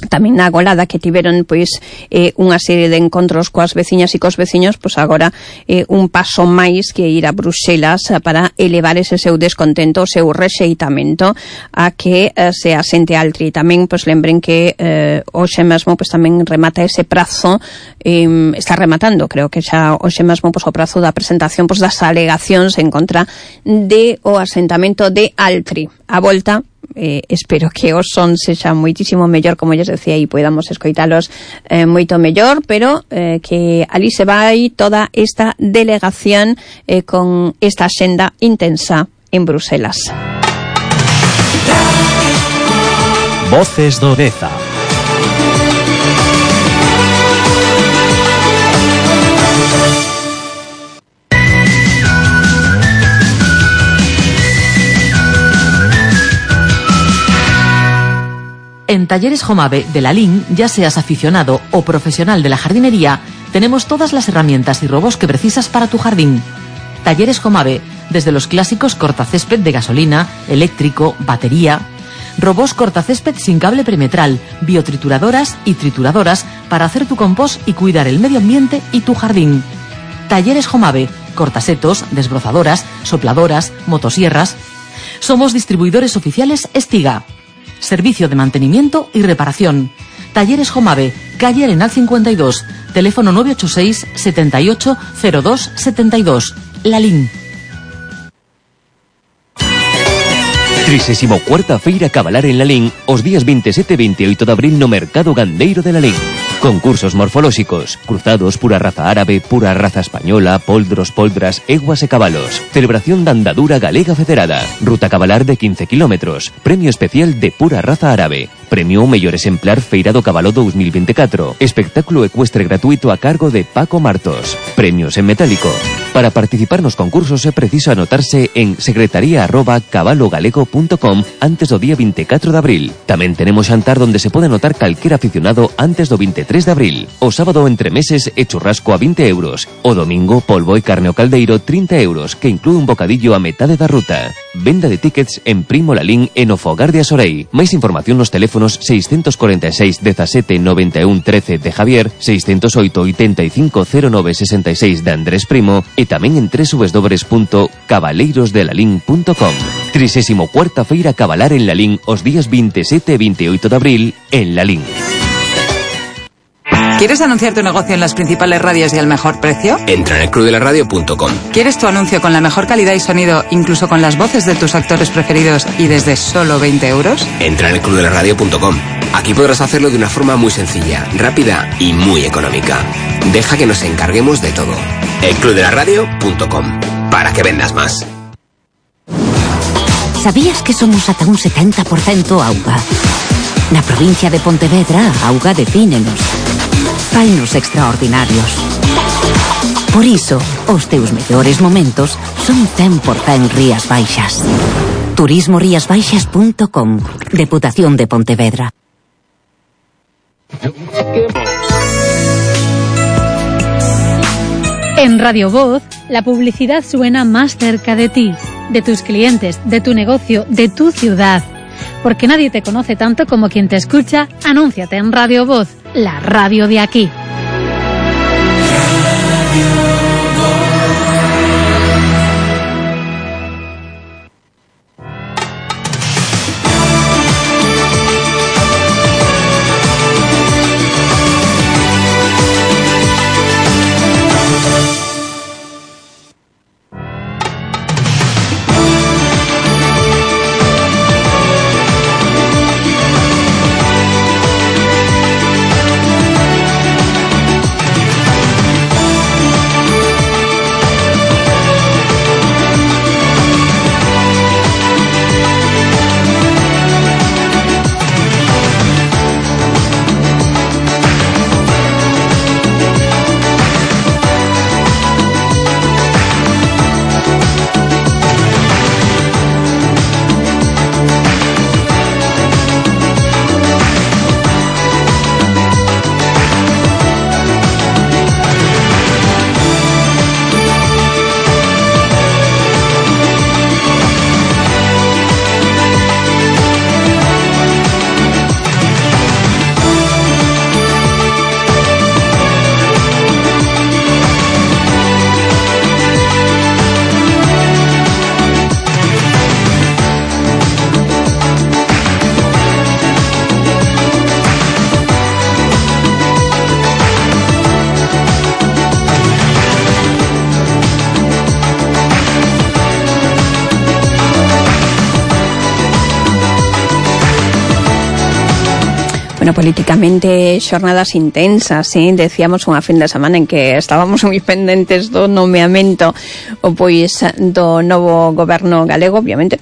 tamén na Golada, que tiveron pois eh, unha serie de encontros coas veciñas e cos veciños, pois agora eh, un paso máis que ir a Bruxelas para elevar ese seu descontento, o seu rexeitamento a que eh, se asente Altri. Tamén pois lembren que eh, hoxe mesmo pois tamén remata ese prazo, eh, está rematando, creo que xa hoxe mesmo pois o prazo da presentación pois das alegacións en contra de o asentamento de Altri. A volta, Eh, espero que o son sexa moitísimo mellor, como lles decía, e podamos escoitalos eh, moito mellor, pero eh, que ali se vai toda esta delegación eh, con esta axenda intensa en Bruselas. Voces do Deza. En Talleres Jomave de Lalín, ya seas aficionado o profesional de la jardinería, tenemos todas las herramientas y robots que precisas para tu jardín. Talleres Jomave, desde los clásicos cortacésped de gasolina, eléctrico, batería, robots cortacésped sin cable perimetral, biotrituradoras y trituradoras para hacer tu compost y cuidar el medio ambiente y tu jardín. Talleres Jomave, cortasetos, desbrozadoras, sopladoras, motosierras. Somos distribuidores oficiales Estiga. Servicio de mantenimiento y reparación. Talleres Jomave, calle Arenal cincuenta y dos, teléfono nueve ocho seis, setenta y ocho, cero dos, setenta y dos. Lalín. trisésimo cuarta Feira Cabalar en Lalín os días veintisiete e veintiocho de abril no Mercado Gandeiro de Lalín. Concursos morfolóxicos, cruzados pura raza árabe, pura raza española, poldros, poldras, eguas e cabalos. Celebración da andadura galega federada. Ruta cabalar de quince kilómetros. Premio especial de pura raza árabe. Premio mellor exemplar Feira do Cabalo dos mil veinticuatro. Espectáculo ecuestre gratuito a cargo de Paco Martos. Premios en metálico. Para participar nos concursos é preciso anotarse en secretaría arroba cabalogalego punto com antes do día veinticuatro de abril. Tamén tenemos xantar donde se pode anotar calquer aficionado antes do veintitrés de abril. O sábado entre meses e churrasco a vinte euros. O domingo polvo e carne ao caldeiro trinta euros, que inclúe un bocadillo a metade da ruta. Venda de tickets en Primo Lalín e no Fogar de Asorei. Máis información nos teléfonos seiscentos cuarenta y seis, diecisiete, noventa y uno, trece de Javier, seiscentos ocho, ochenta y cinco, cero nueve, sesenta y seis de Andrés Primo e tamén en doble u doble u doble u punto cabaleirosdelalín punto com. trisésimo cuarta Feira Cabalar en Lalín os días veintisiete e veintiocho de abril en Lalín. ¿Quieres anunciar tu negocio en las principales radios y al mejor precio? Entra en el club de la radio punto com. ¿Quieres tu anuncio con la mejor calidad y sonido, incluso con las voces de tus actores preferidos y desde solo veinte euros? Entra en el club de la radio punto com. Aquí podrás hacerlo de una forma muy sencilla, rápida y muy económica. Deja que nos encarguemos de todo. el club de la radio punto com. Para que vendas más. ¿Sabías que somos ata un setenta por cento auga? Na provincia de Pontevedra, a auga defínenos. Fainos extraordinarios. Por iso, os teus mellores momentos son cen por cento Rías Baixas. turismo rías baixas punto com. Deputación de Pontevedra. En Radio Voz, la publicidad suena más cerca de ti, de tus clientes, de tu negocio, de tu ciudad. Porque nadie te conoce tanto como quien te escucha. Anúnciate en Radio Voz, la radio de aquí. Bueno, políticamente xornadas intensas, ¿sí? Decíamos unha fin de semana en que estábamos moi pendentes do nomeamento o pois do novo goberno galego, obviamente,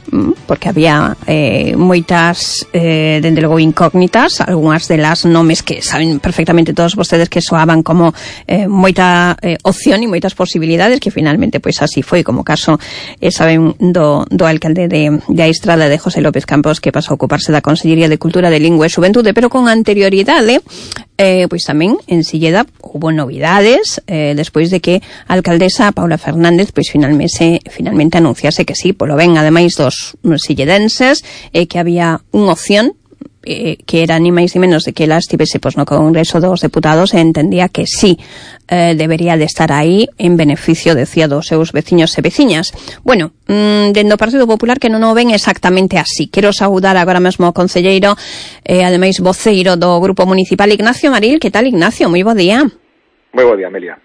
porque había eh, moitas, eh, dende logo, incógnitas, algunhas delas nomes que saben perfectamente todos vostedes que soaban como eh, moita eh, opción e moitas posibilidades, que finalmente pois así foi, como caso eh, saben do, do alcalde de, de Aistrada, de José López Campos, que pasou a ocuparse da Consellería de Cultura, de Lingua e Xuventude, pero con anterioridade Eh, pois tamén en Silleda hubo novidades eh, despois de que a alcaldesa Paula Fernández pois finalmente, finalmente anunciase que sí, polo ben ademais dos silledenses, eh, que había unha opción eh, que era ni máis ni menos de que ela estivese pois, no Congreso dos Deputados, e entendía que sí eh, debería de estar aí en beneficio, decía, dos seus veciños e veciñas. Bueno, mmm, dentro do Partido Popular que non o ven exactamente así. Quero saudar agora mesmo ao concelleiro e eh, ademais voceiro do Grupo Municipal, Ignacio Maril. Que tal, Ignacio? Moi bo día. Moi bo día, Amelia.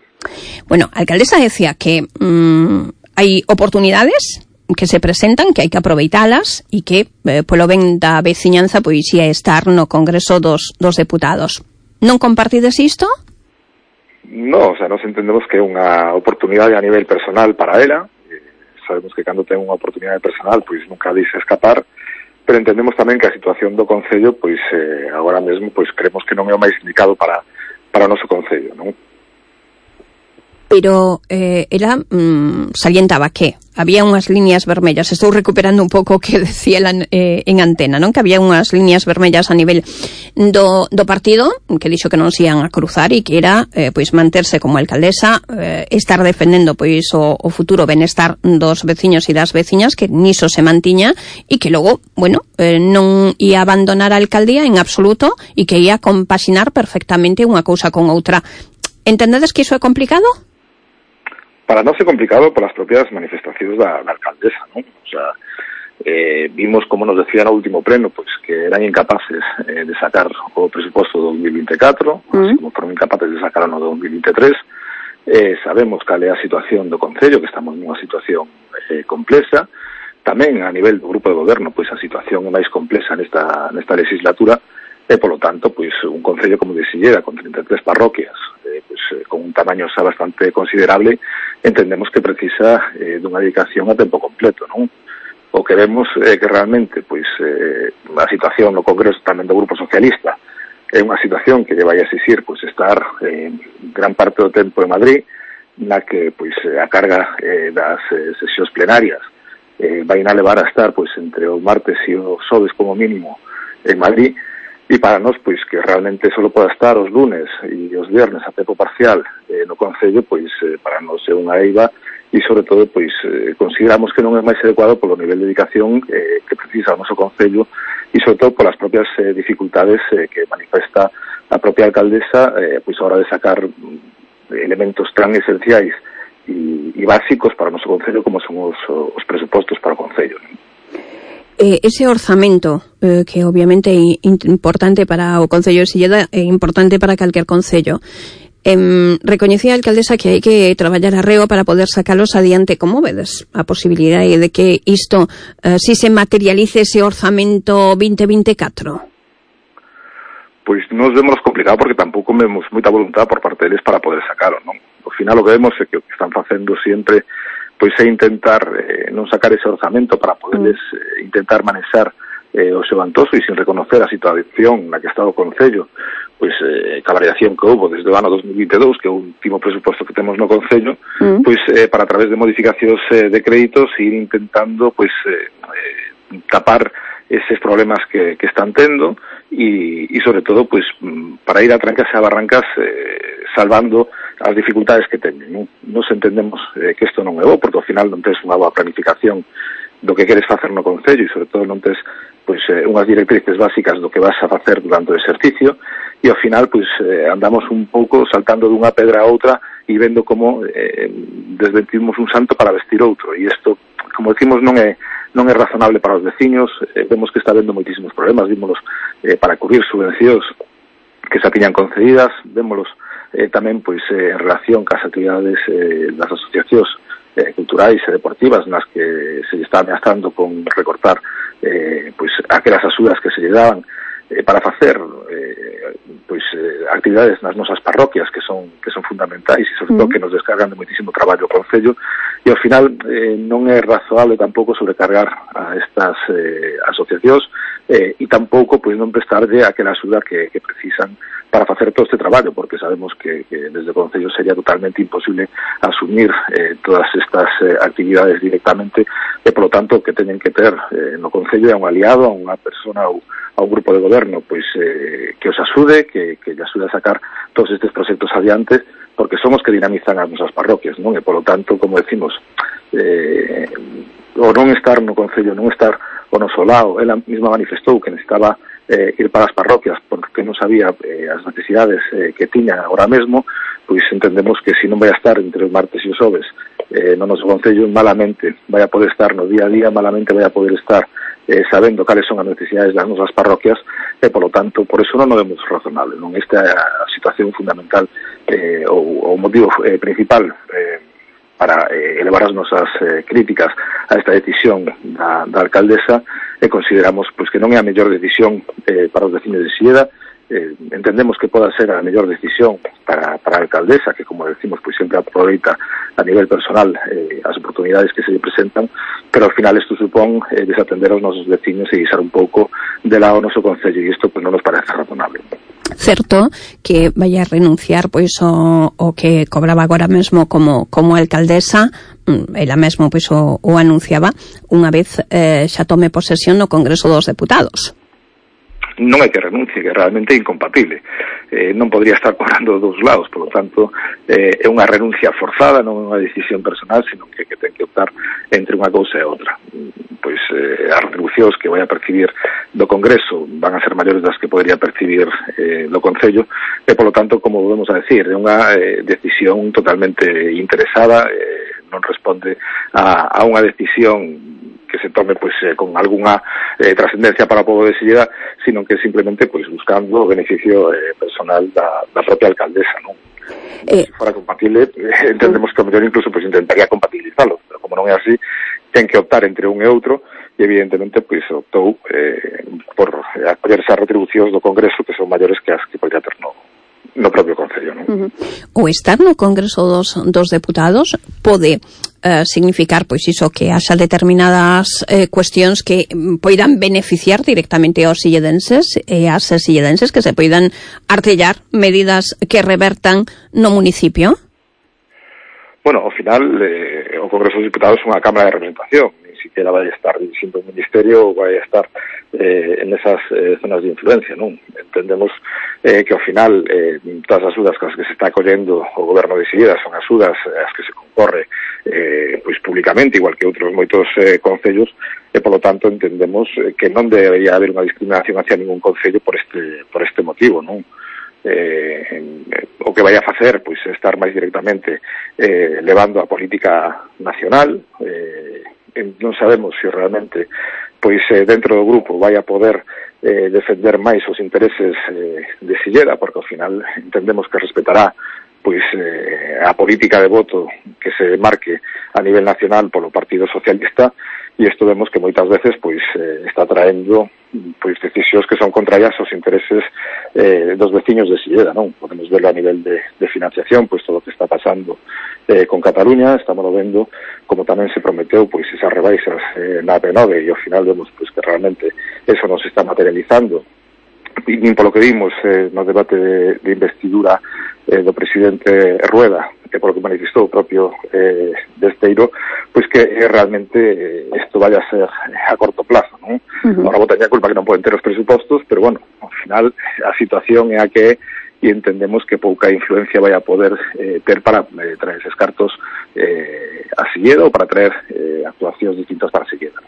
Bueno, a alcaldesa decía que mmm, hai oportunidades que se presentan, que hai que aproveitalas e que, eh, polo ben da veciñanza, pois ia estar no Congreso dos, dos Deputados. Non compartides isto? No, o sea, nos entendemos que é unha oportunidade a nivel personal para ela. Eh, sabemos que cando ten unha oportunidade personal, pois nunca dice escapar, pero entendemos tamén que a situación do Concello, pois eh, agora mesmo, pois creemos que non é o máis indicado para, para o noso Concello, non? Pero eh, ela mmm, salientaba que había unhas líneas vermellas. Estou recuperando un pouco o que decía ela eh, en antena, non? Que había unhas líneas vermellas a nivel do, do partido, que dixo que non se ian a cruzar, e que era eh, pois manterse como alcaldesa, eh, estar defendendo pois o, o futuro benestar dos veciños e das veciñas, que niso se mantiña, e que logo, bueno, eh, non ia abandonar a alcaldía en absoluto, e que ia compaxinar perfectamente unha cousa con outra. Entendedes que iso é complicado? Para nós é complicado polas propias manifestacións da, da alcaldesa, non? O sea, eh, vimos, como nos decía no último pleno, pois que eran incapaces eh, de sacar o presuposto do dos mil veinticuatro, mm. así como foron incapaces de sacar o no do dos mil veintitrés. Eh, sabemos cal é a situación do Concello, que estamos nunha situación eh, complexa. Tamén a nivel do grupo de goberno, pois a situación é máis complexa nesta, nesta legislatura, e, polo tanto, pois un Concello como de Silleda, con trinta e tres parroquias, eh, pois, eh, con un tamaño xa bastante considerable, entendemos que precisa eh, dunha dedicación a tempo completo, non? O que vemos é eh, que realmente, pois, eh, a situación no Congreso tamén do Grupo Socialista é unha situación que lle vai a exixir, pois, estar eh, gran parte do tempo en Madrid, na que, pois, a carga eh, das eh, sesións plenarias eh, vai a levar a estar, pois, entre o martes e o xoves como mínimo en Madrid. E para nós, pois, que realmente só poda estar os lunes e os viernes a tempo parcial eh, no Concello, pois, eh, para nós é unha eiva, e, sobre todo, pois, eh, consideramos que non é máis adecuado polo nivel de dedicación eh, que precisa o noso Concello, e, sobre todo, polas propias eh, dificultades eh, que manifesta a propia alcaldesa, eh, pois, a hora de sacar elementos tan esenciais e, e básicos para o noso Concello como son os, os presupostos para o Concello, non? Eh, ese orzamento, eh, que obviamente é importante para o Concello de Silleda, é importante para calquer concello. Eh, recoñecía a alcaldesa que hai que traballar arreo para poder sacalos adiante. Como vedes a posibilidade de que isto, eh, si se materialice ese orzamento vinte veinticuatro? Pois nos vemos complicado porque tampouco vemos moita voluntad por parte deles para poder sacalo, non? Ao final o que vemos é que o que están facendo sempre pois é intentar eh, non sacar ese orzamento para poderles eh, intentar manexar eh, o seu antoso, e sin reconocer a situación na que está o Concello, pois eh, a variación que houve desde o ano dos mil veintidós, que é o último presuposto que temos no Concello, mm. pois eh, para a través de modificacións eh, de créditos ir intentando pois eh, eh, tapar eses problemas que, que están tendo, e, e sobre todo pois para ir a trancas e a barrancas eh, salvando as dificultades que teñen, non? Nos entendemos eh, que isto non é bo, porque ao final non tes unha boa planificación do que queres facer no Concello, e sobre todo non tes pois, eh, unhas directrices básicas do que vas a facer durante o exercicio, e ao final pois eh, andamos un pouco saltando dunha pedra a outra e vendo como eh, desventimos un santo para vestir outro, e isto, como decimos, non é non é razonable para os veciños. Eh, vemos que está habendo moitísimos problemas, vímolos eh, para cubrir subvencións que xa tiñan concedidas, vémolos eh, tamén pois eh, en relación cas actividades eh, das asociacións eh, culturais e deportivas nas que se está ameazando con recortar eh, pois aquelas axudas que se lle daban eh, para facer eh, pois eh, actividades nas nosas parroquias que son que son fundamentais, e sobre todo que nos descargan de moitísimo traballo o Concello, e ao final eh, non é razoable tampouco sobrecargar a estas eh, asociacións eh, e tampouco pois non prestarlle aquela axuda que, que precisan para facer todo este traballo, porque sabemos que, que desde o Concello sería totalmente imposible asumir eh, todas estas eh, actividades directamente, e polo tanto que teñen que ter eh, no Concello a un aliado, a unha persona ou a un grupo de goberno pois eh, que os axude, que, que lle axude a sacar todos estes proxectos adiante, porque son os que dinamizan as nosas parroquias, non? E polo tanto, como decimos, eh, o non estar no Concello, non estar o noso lado, ela mesma manifestou que necesitaba eh, ir para as parroquias porque non sabía eh, as necesidades eh, que tiña agora mesmo, pois entendemos que se non vai a estar entre os martes e os xoves eh, no noso Concello, malamente vai a poder estar no día a día, malamente vai a poder estar eh, sabendo cales son as necesidades das nosas parroquias, e polo tanto, por eso non o vemos razonable, non? Esta é a situación fundamental eh, ou o motivo eh, principal eh, para eh, elevar as nosas eh, críticas a esta decisión da, da alcaldesa, e consideramos pois que non é a mellor decisión eh, para os veciños de Silleda. Eh, entendemos que poda ser a mellor decisión para, para a alcaldesa, que, como decimos, pois sempre aproveita a nivel personal eh, as oportunidades que se lle presentan, pero ao final isto supón eh, desatender aos nosos veciños e guisar un pouco de lado o noso Concello, e isto pois non nos parece razonable. Certo que vai a renunciar pois o, o que cobraba agora mesmo como, como alcaldesa, ela mesmo pois o, o anunciaba unha vez eh, xa tome posesión no Congreso dos Deputados. Non é que renuncie, que realmente é incompatible. Eh, non podría estar cobrando dos lados, por lo tanto, eh, é unha renuncia forzada, non é unha decisión personal, sino que, que ten que optar entre unha cousa e outra. Pois eh, as retribucións que vai a percibir do Congreso van a ser maiores das que podría percibir eh, do Concello, e, por lo tanto, como volvemos a decir, é unha eh, decisión totalmente interesada, eh, non responde a, a unha decisión que se tome pois eh, con algunha eh, trascendencia para o povo de Silleda, sino que simplemente pois buscando o beneficio eh, personal da, da propia alcaldesa, non? Eh, se fora compatible, eh, entendemos que o mellor incluso pois intentaría compatibilizalo, pero como non é así, ten que optar entre un e outro, e evidentemente pois optou eh, por eh, acollerse as retribucións do Congreso, que son maiores que as que podría ter no, no propio Concello, non? Uh-huh. O estar no Congreso dos, dos Deputados pode Uh, significar, pois, iso, que haxa determinadas eh, cuestións que poidan beneficiar directamente aos silledenses e ás silledenses, que se poidan artellar medidas que revertan no municipio? Bueno, ao final, eh, o Congreso dos Diputados é unha Cámara de Representación, ni siquiera vai estar dirixindo un ministerio ou vai estar eh, en esas eh, zonas de influencia, non? Entendemos eh, que ao final eh, todas as axudas que se está acollendo o goberno de Silleda son axudas as que se concorre eh, pois públicamente, igual que outros moitos eh, concellos, e polo tanto entendemos eh, que non debería haber unha discriminación hacia ningún concello por este por este motivo, non? Eh, o que vai a facer pois estar máis directamente eh, levando a política nacional, eh, non sabemos se realmente pois eh, dentro do grupo vai a poder eh, defender máis os intereses eh, de Silleda, porque ao final entendemos que respetará pois eh, a política de voto que se marque a nivel nacional polo Partido Socialista, e isto vemos que moitas veces pois eh, está traendo pois decisións que son contrarias aos intereses eh, dos veciños de Silleda, non? Podemos verlo a nivel de, de financiación, pois todo o que está pasando eh, con Cataluña, estamos vendo como tamén se prometeu pois esas rebaixas eh, na P nove, e ao final vemos pois que realmente eso non se está materializando, e nin polo que vimos eh, no debate de, de investidura eh, do presidente Rueda, que polo que manifestou o propio eh, Desteiro, pois que eh, realmente isto eh, vaya a ser a corto plazo, non? Uh-huh. Ahora botaña a culpa que non poden ter os presupostos, pero bueno, ao final a situación é a que e entendemos que pouca influencia vai a poder eh, ter para eh, traer eses cartos eh, a Silleda ou para traer eh, actuacións distintas para Silleda.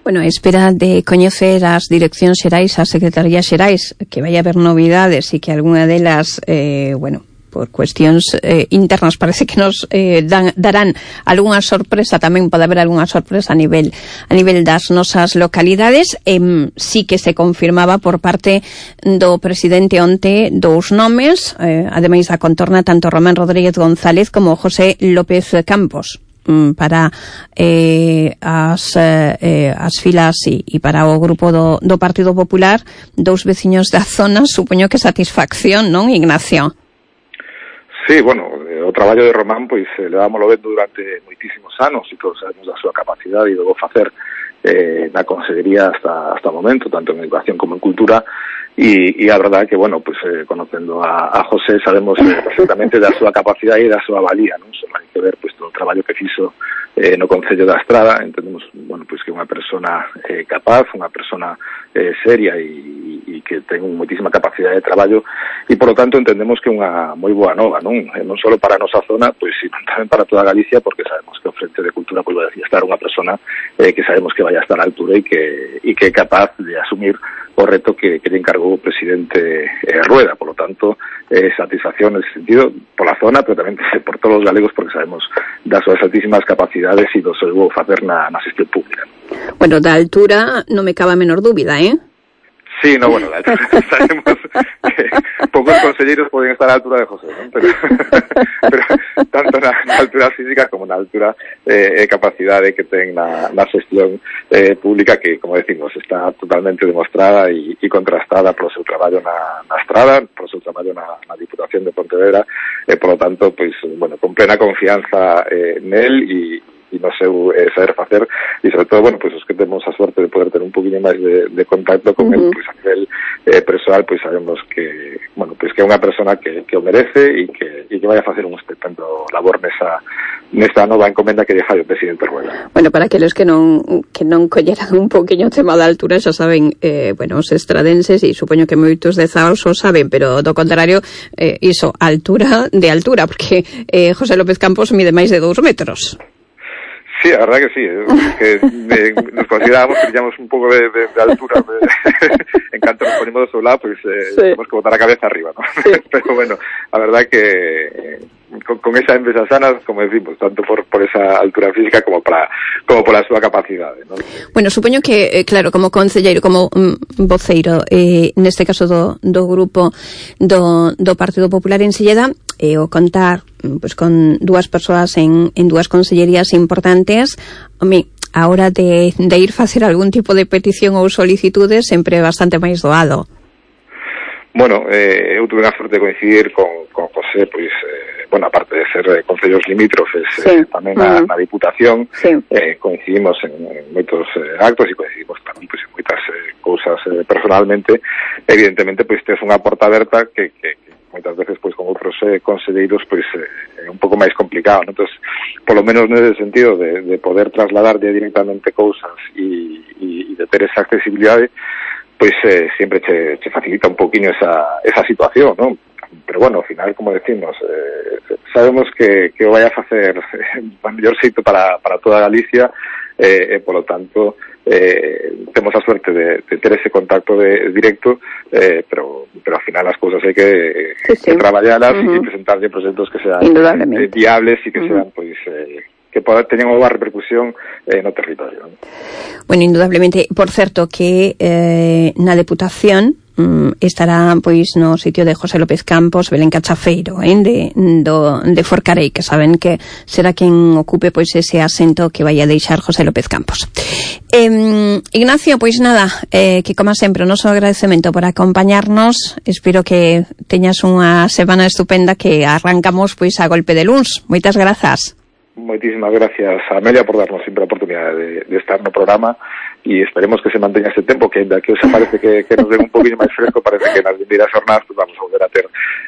Bueno, espera de coñecer as direccións xerais, as secretarías xerais, que vai haber novidades e que algunha delas, eh, bueno, por cuestións eh, internas parece que nos eh, dan, darán algunha sorpresa, tamén pode haber algunha sorpresa a nivel a nivel das nosas localidades. Eh, sí que se confirmaba por parte do presidente onte dous nomes, eh, ademais da contorna, tanto Román Rodríguez González como José López Campos para eh, as, eh, as filas e, e para o grupo do, do Partido Popular, dous veciños da zona, supoño que satisfacción, non, Ignacio? Sí, bueno, o traballo de Román, pois, eh, levámoslo vendo durante moitísimos anos, e todos sabemos da súa capacidade e do facer eh, na Consellería hasta, hasta o momento, tanto en educación como en cultura, e, e a verdade que, bueno, pues eh, conocendo a, a José sabemos eh, perfectamente da súa capacidade e da súa valía, non? Só hai que ver, pues, todo o traballo que fixo eh, no Concello da Estrada. Entendemos, bueno, pues que é unha persona eh, capaz, unha persona eh, seria e, e que ten moitísima capacidade de traballo, e, por lo tanto, entendemos que é unha moi boa nova, non? Eh, non só para a nosa zona, pois, sino tamén para toda Galicia, porque sabemos que o Frente de Cultura pois, vai a estar unha persona eh, que sabemos que vai a estar á altura e que, e que é capaz de asumir o reto que, que lle encargou o presidente eh, Rueda. Por lo tanto, eh, satisfacción nesse sentido pola zona, pero tamén por todos os galegos, porque sabemos das súas altísimas capacidades e do seu facer na, na xestión pública. Bueno, da altura non me cabe a menor dúbida, eh? Sí, no, bueno, la altura, sabemos que pocos conselleiros poden estar a altura de José, ¿no? Pero, pero tanto na, na altura física como na altura eh, capacidade que ten na, na xestión eh, pública, que, como decimos, está totalmente demostrada e, e contrastada polo seu traballo na, na Estrada, polo seu traballo na, na Diputación de Pontevedra, e, eh, por lo tanto, pois, bueno, con plena confianza eh, nel e e no seu eh, saber facer, e sobre todo, bueno, pois pues, os que temos a suerte de poder ter un poquinho máis de, de contacto con uh -huh. él, pois pues, a nivel eh, persoal, pois pues, sabemos que, bueno, pois pues, que é unha persona que, que o merece e que, e que vai a facer un estupendo labor nesa, nesta nova encomenda que deixa o presidente Rueda. Bueno, para aqueles que non que non colleran un poquinho o tema da altura, xa saben, eh, bueno, os estradenses, e supoño que moitos de Zaos o saben, pero do contrario, eh, iso, altura de altura, porque eh, José López Campos mide máis de dous metros. Sí, la verdad que sí, es que eh, nos considerábamos que teníamos un poco de, de, de altura, de, en cuanto nos ponemos de su lado, pues eh, sí. tenemos que botar la cabeza arriba, ¿no? Sí. Pero bueno, la verdad que eh, con, con esa envesa sana, como decimos, tanto por, por esa altura física como para como por la súa capacidade, ¿no? Bueno, supoño que, eh, claro, como concelleiro, como mm, voceiro, eh, neste caso do, do grupo do, do Partido Popular en Silleda, e o contar pues con dúas persoas en, en dúas consellerías importantes, home, a hora de, de ir facer algún tipo de petición ou solicitudes sempre é bastante máis doado. Bueno, eh, eu tuve a sorte de coincidir con, con José, pois, eh, bueno, aparte de ser eh, concellos limítrofes, sí. eh, tamén na, uh -huh. na Diputación, sí. eh, coincidimos en, en moitos eh, actos e coincidimos tamén pois, en moitas eh, cousas eh, personalmente. Evidentemente, pois, tes unha porta aberta que, que, que moitas veces pois con outros eh, conselleiros pois é eh, un pouco máis complicado, ¿no? Entonces, polo menos nese sentido de, de poder trasladar directamente cousas e, e, e de ter esa accesibilidade, pois eh, sempre che, che facilita un poquinho esa, esa situación, ¿no? Pero bueno, ao final, como decimos, eh, sabemos que, que o vai a facer eh, o mellor xeito para, para toda Galicia, e, eh, eh, polo tanto, eh, temos a suerte de, de ter ese contacto de, directo, eh, pero pero ao final as cousas hai que, sí, sí. que traballalas uh -huh. e presentarlle proxectos que sean eh, viables e que uh -huh. sean, pois, eh, que poda, teñan unha repercusión eh, no territorio, ¿no? Bueno, indudablemente, por certo que eh, na Deputación estará pois no sitio de José López Campos Belén Cachafeiro, eh, de, do, de Forcarei, que saben que será quen ocupe pois ese asento que vai a deixar José López Campos. Eh, Ignacio, pois nada, eh, que como sempre o noso agradecemento por acompañarnos. Espero que teñas unha semana estupenda, que arrancamos pois a golpe de luns. Moitas grazas. Moitísimas gracias a Amelia por darnos sempre a oportunidade de, de estar no programa, e esperemos que se manteña ese tempo, que ainda que os parece que, que nos den un poquinho máis fresco, parece que nas vindeiras jornadas pues vamos a volver a ter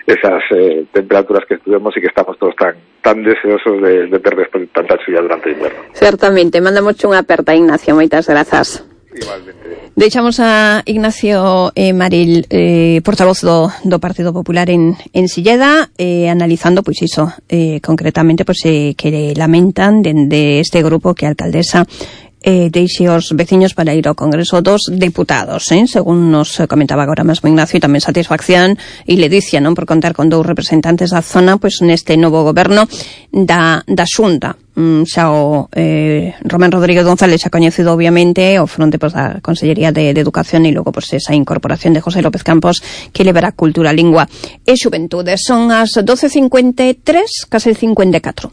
esas eh, temperaturas que estuvemos e que estamos todos tan tan deseosos de, de ter despois de tanta chuva durante o inverno. Certamente, mandamos unha aperta, Ignacio, moitas grazas. Igualmente. Deixamos a Ignacio eh, Maril, eh, portavoz do, do Partido Popular en, en Silleda, eh, analizando, pois iso, eh, concretamente, pois eh, que lamentan dende de este grupo que a alcaldesa eh, deixe os veciños para ir ao Congreso dos Deputados, eh? Según nos comentaba agora mesmo Ignacio, e tamén satisfacción e ledicia, non, por contar con dous representantes da zona pois neste novo goberno da, da Xunta. Mm, xa o eh, Román Rodríguez González xa coñecido obviamente o fronte pois, da Consellería de, de Educación, e logo pois, esa incorporación de José López Campos que levará Cultura, Lingua e Xuventude. Son as doce cincuenta e tres, case cincuenta e catro.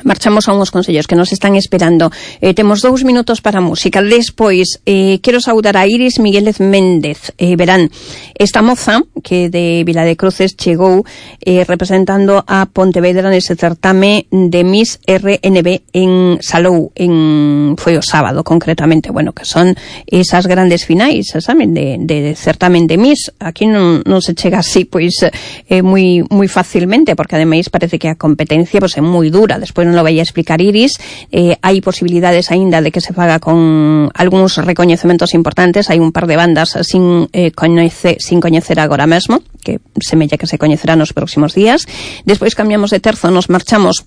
marchamos a unhos consellos que nos están esperando. Eh, temos dous minutos para a música. Despois, eh, quero saudar a Iris Miguélez Méndez. Eh, verán, esta moza que de Vila de Cruces chegou eh, representando a Pontevedra nese certame de Miss R N B en Salou, en foi o sábado concretamente, bueno, que son esas grandes finais, saben, de, de certamen de Miss. Aquí non, non se chega así, pois, eh, moi, moi facilmente, porque ademais parece que a competencia pois, é moi dura. Despois non lo vai a explicar Iris, eh, hai posibilidades aínda de que se faga con algúns recoñecementos importantes. Hai un par de bandas sin, eh, coñece, sin coñecer agora mesmo, que semella que se coñecerá nos próximos días. Despois cambiamos de terzo, nos marchamos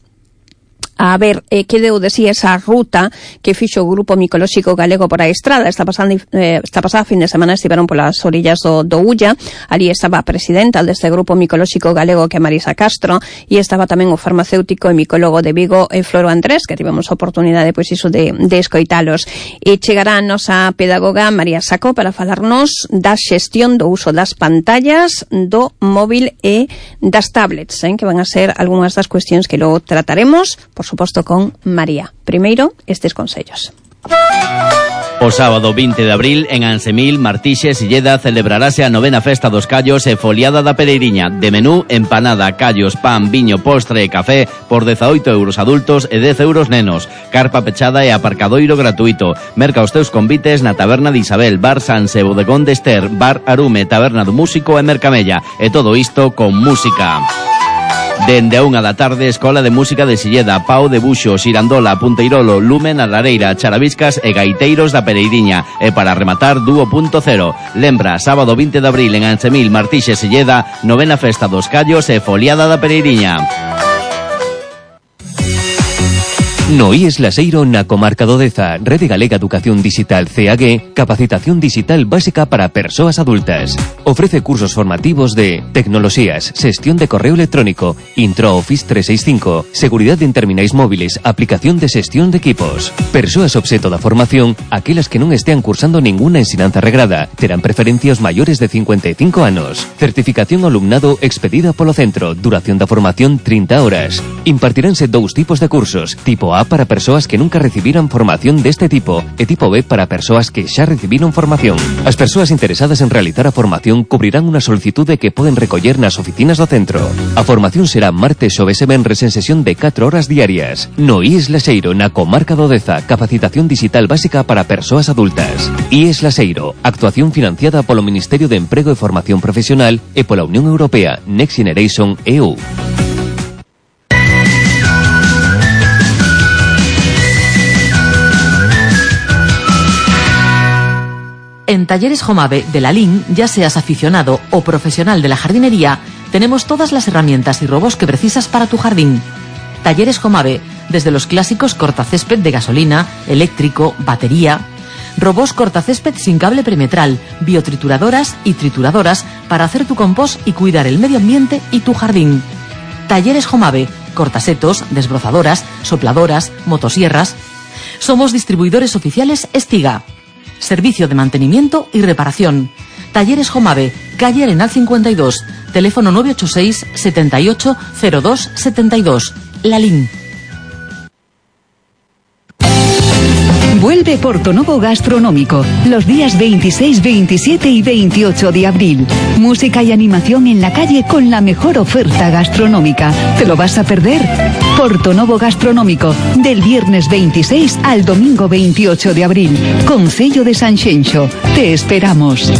a ver eh, que deu de si esa ruta que fixo o Grupo Micolóxico Galego por a estrada. Esta pasada, eh, esta pasada fin de semana estiveron polas orillas do, do Ulla. Ali estaba a presidenta deste Grupo Micolóxico Galego, que é Marisa Castro, e estaba tamén o farmacéutico e micólogo de Vigo, eh, Floro Andrés, que tivemos a oportunidade pois iso de, de escoitalos. E chegará a nosa pedagoga María Saco para falarnos da xestión do uso das pantallas, do móvil e das tablets, eh, que van a ser algunhas das cuestións que logo trataremos, por suposto, con María. Primeiro, estes consellos. O sábado vinte de abril, en Ansemil, Martixe, Silleda, celebrarase a novena festa dos callos e foliada da Pereiriña. De menú, empanada, callos, pan, viño, postre e café por dezaoito euros adultos e dez euros nenos. Carpa pechada e aparcadoiro gratuito. Merca os teus convites na Taberna de Isabel, Bar Sanse, Bodegón de Ester, Bar Arume, Taberna do Músico e Mercamella. E todo isto con música. Dende a unha da tarde, Escola de Música de Silleda, Pau de Buxo, Xirandola, Punteirolo, Lumen, a Lareira, Charaviscas e Gaiteiros da Pereiriña. E para rematar, Dúo punto cero. Lembra, sábado vinte de abril en Ansemil, Martixe, Silleda, novena festa dos callos e foliada da Pereiriña. No I E S Laseiro na comarca do Deza, Rede Galega Educación Digital C A G, capacitación digital básica para persoas adultas. Ofrece cursos formativos de tecnoloxías, xestión de correo electrónico, Intro Office trescientos sesenta y cinco, seguridade en terminais móviles, aplicación de xestión de equipos. Persoas obxeto da formación, aquelas que non estean cursando ninguna ensinanza regrada, terán preferencia os maiores de cincuenta e cinco anos. Certificación ao alumnado expedida polo centro, duración da formación trinta horas. Impartiránse dous tipos de cursos, tipo A para persoas que nunca recibiran formación deste tipo e tipo B para persoas que xa recibiron formación. As persoas interesadas en realizar a formación cubrirán unha solicitude que poden recoller nas oficinas do centro. A formación será martes, xoves e venres en sesión de catro horas diarias. No I E S Laseiro, na comarca do Deza, capacitación digital básica para persoas adultas. I E S Laseiro, actuación financiada polo Ministerio de Emprego e Formación Profesional e pola Unión Europea, Next Generation E U. En Talleres Jomave de la Lin, ya seas aficionado o profesional de la jardinería, tenemos todas las herramientas y robos que precisas para tu jardín. Talleres Jomave, desde los clásicos cortacésped de gasolina, eléctrico, batería, robos cortacésped sin cable perimetral, biotrituradoras y trituradoras para hacer tu compost y cuidar el medio ambiente y tu jardín. Talleres Jomave, cortasetos, desbrozadoras, sopladoras, motosierras. Somos distribuidores oficiales Estiga. Servicio de mantenimiento y reparación. Talleres Jomave, calle Arenal cincuenta y dos, teléfono nueve ocho seis, setenta y ocho, cero dos, setenta y dos. Lalín. Vuelve Portonovo Gastronómico, los días veintiséis, veintisiete y veintiocho de abril. Música y animación en la calle con la mejor oferta gastronómica. ¿Te lo vas a perder? Portonovo Gastronómico, del viernes veintiséis al domingo veintiocho de abril. Concello de Sanxenxo. Te esperamos.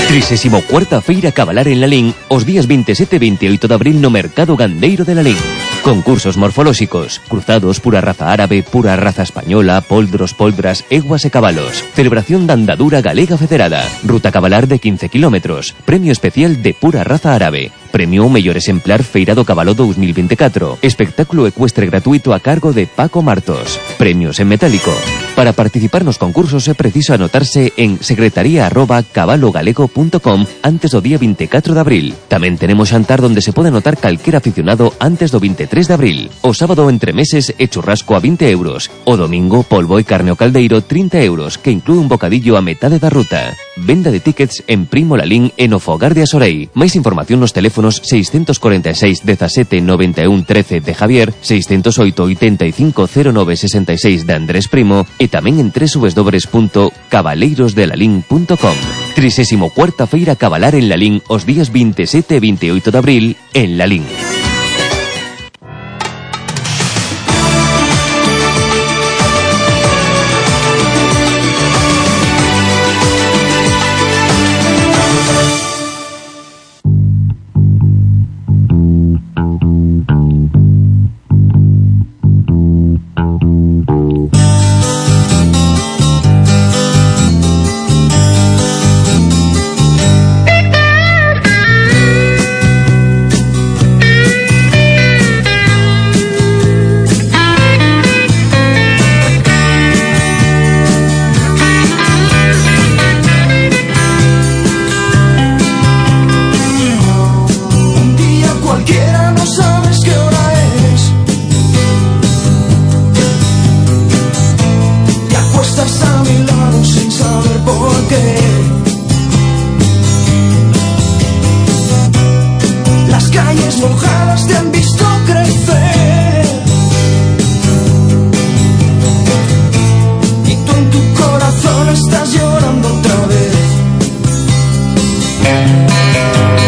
trigésima cuarta Feira Cabalar en Lalín, os días veintisiete e veintioito de abril no Mercado Gandeiro de Lalín. Concursos morfolóxicos, cruzados, pura raza árabe, pura raza española, poldros, poldras, eguas e cabalos. Celebración da andadura galega federada. Ruta cabalar de quince kilómetros. Premio especial de pura raza árabe. Premio ao mellor exemplar Feira do Cabalo dos mil veinticuatro. Espectáculo ecuestre gratuito a cargo de Paco Martos. Premios en metálico. Para participar nos concursos é preciso anotarse en secretaría arroba cabalogalego punto com antes do día veinticuatro de abril. Tamén tenemos xantar donde se pode anotar calquera aficionado antes do veintitrés de abril. O sábado entre meses e churrasco a vinte euros. O domingo polvo e carne ao caldeiro trinta euros, que inclúe un bocadillo a metade da ruta. Venda de tickets en Primo Lalín en Ofogar de Asorei. Máis información nos teléfonos seiscentos cuarenta y seis dezasete noventa y uno trece de Javier, seiscentos oito ochenta y cinco cero nove sesenta y seis de Andrés Primo e tamén en doble u doble u doble u punto cabaleiros de lalín punto com. Trisésimo cuarta Feira Cabalar en Lalín os días veintisiete e veintiocho de abril en Lalín. Las calles mojadas de ambiente.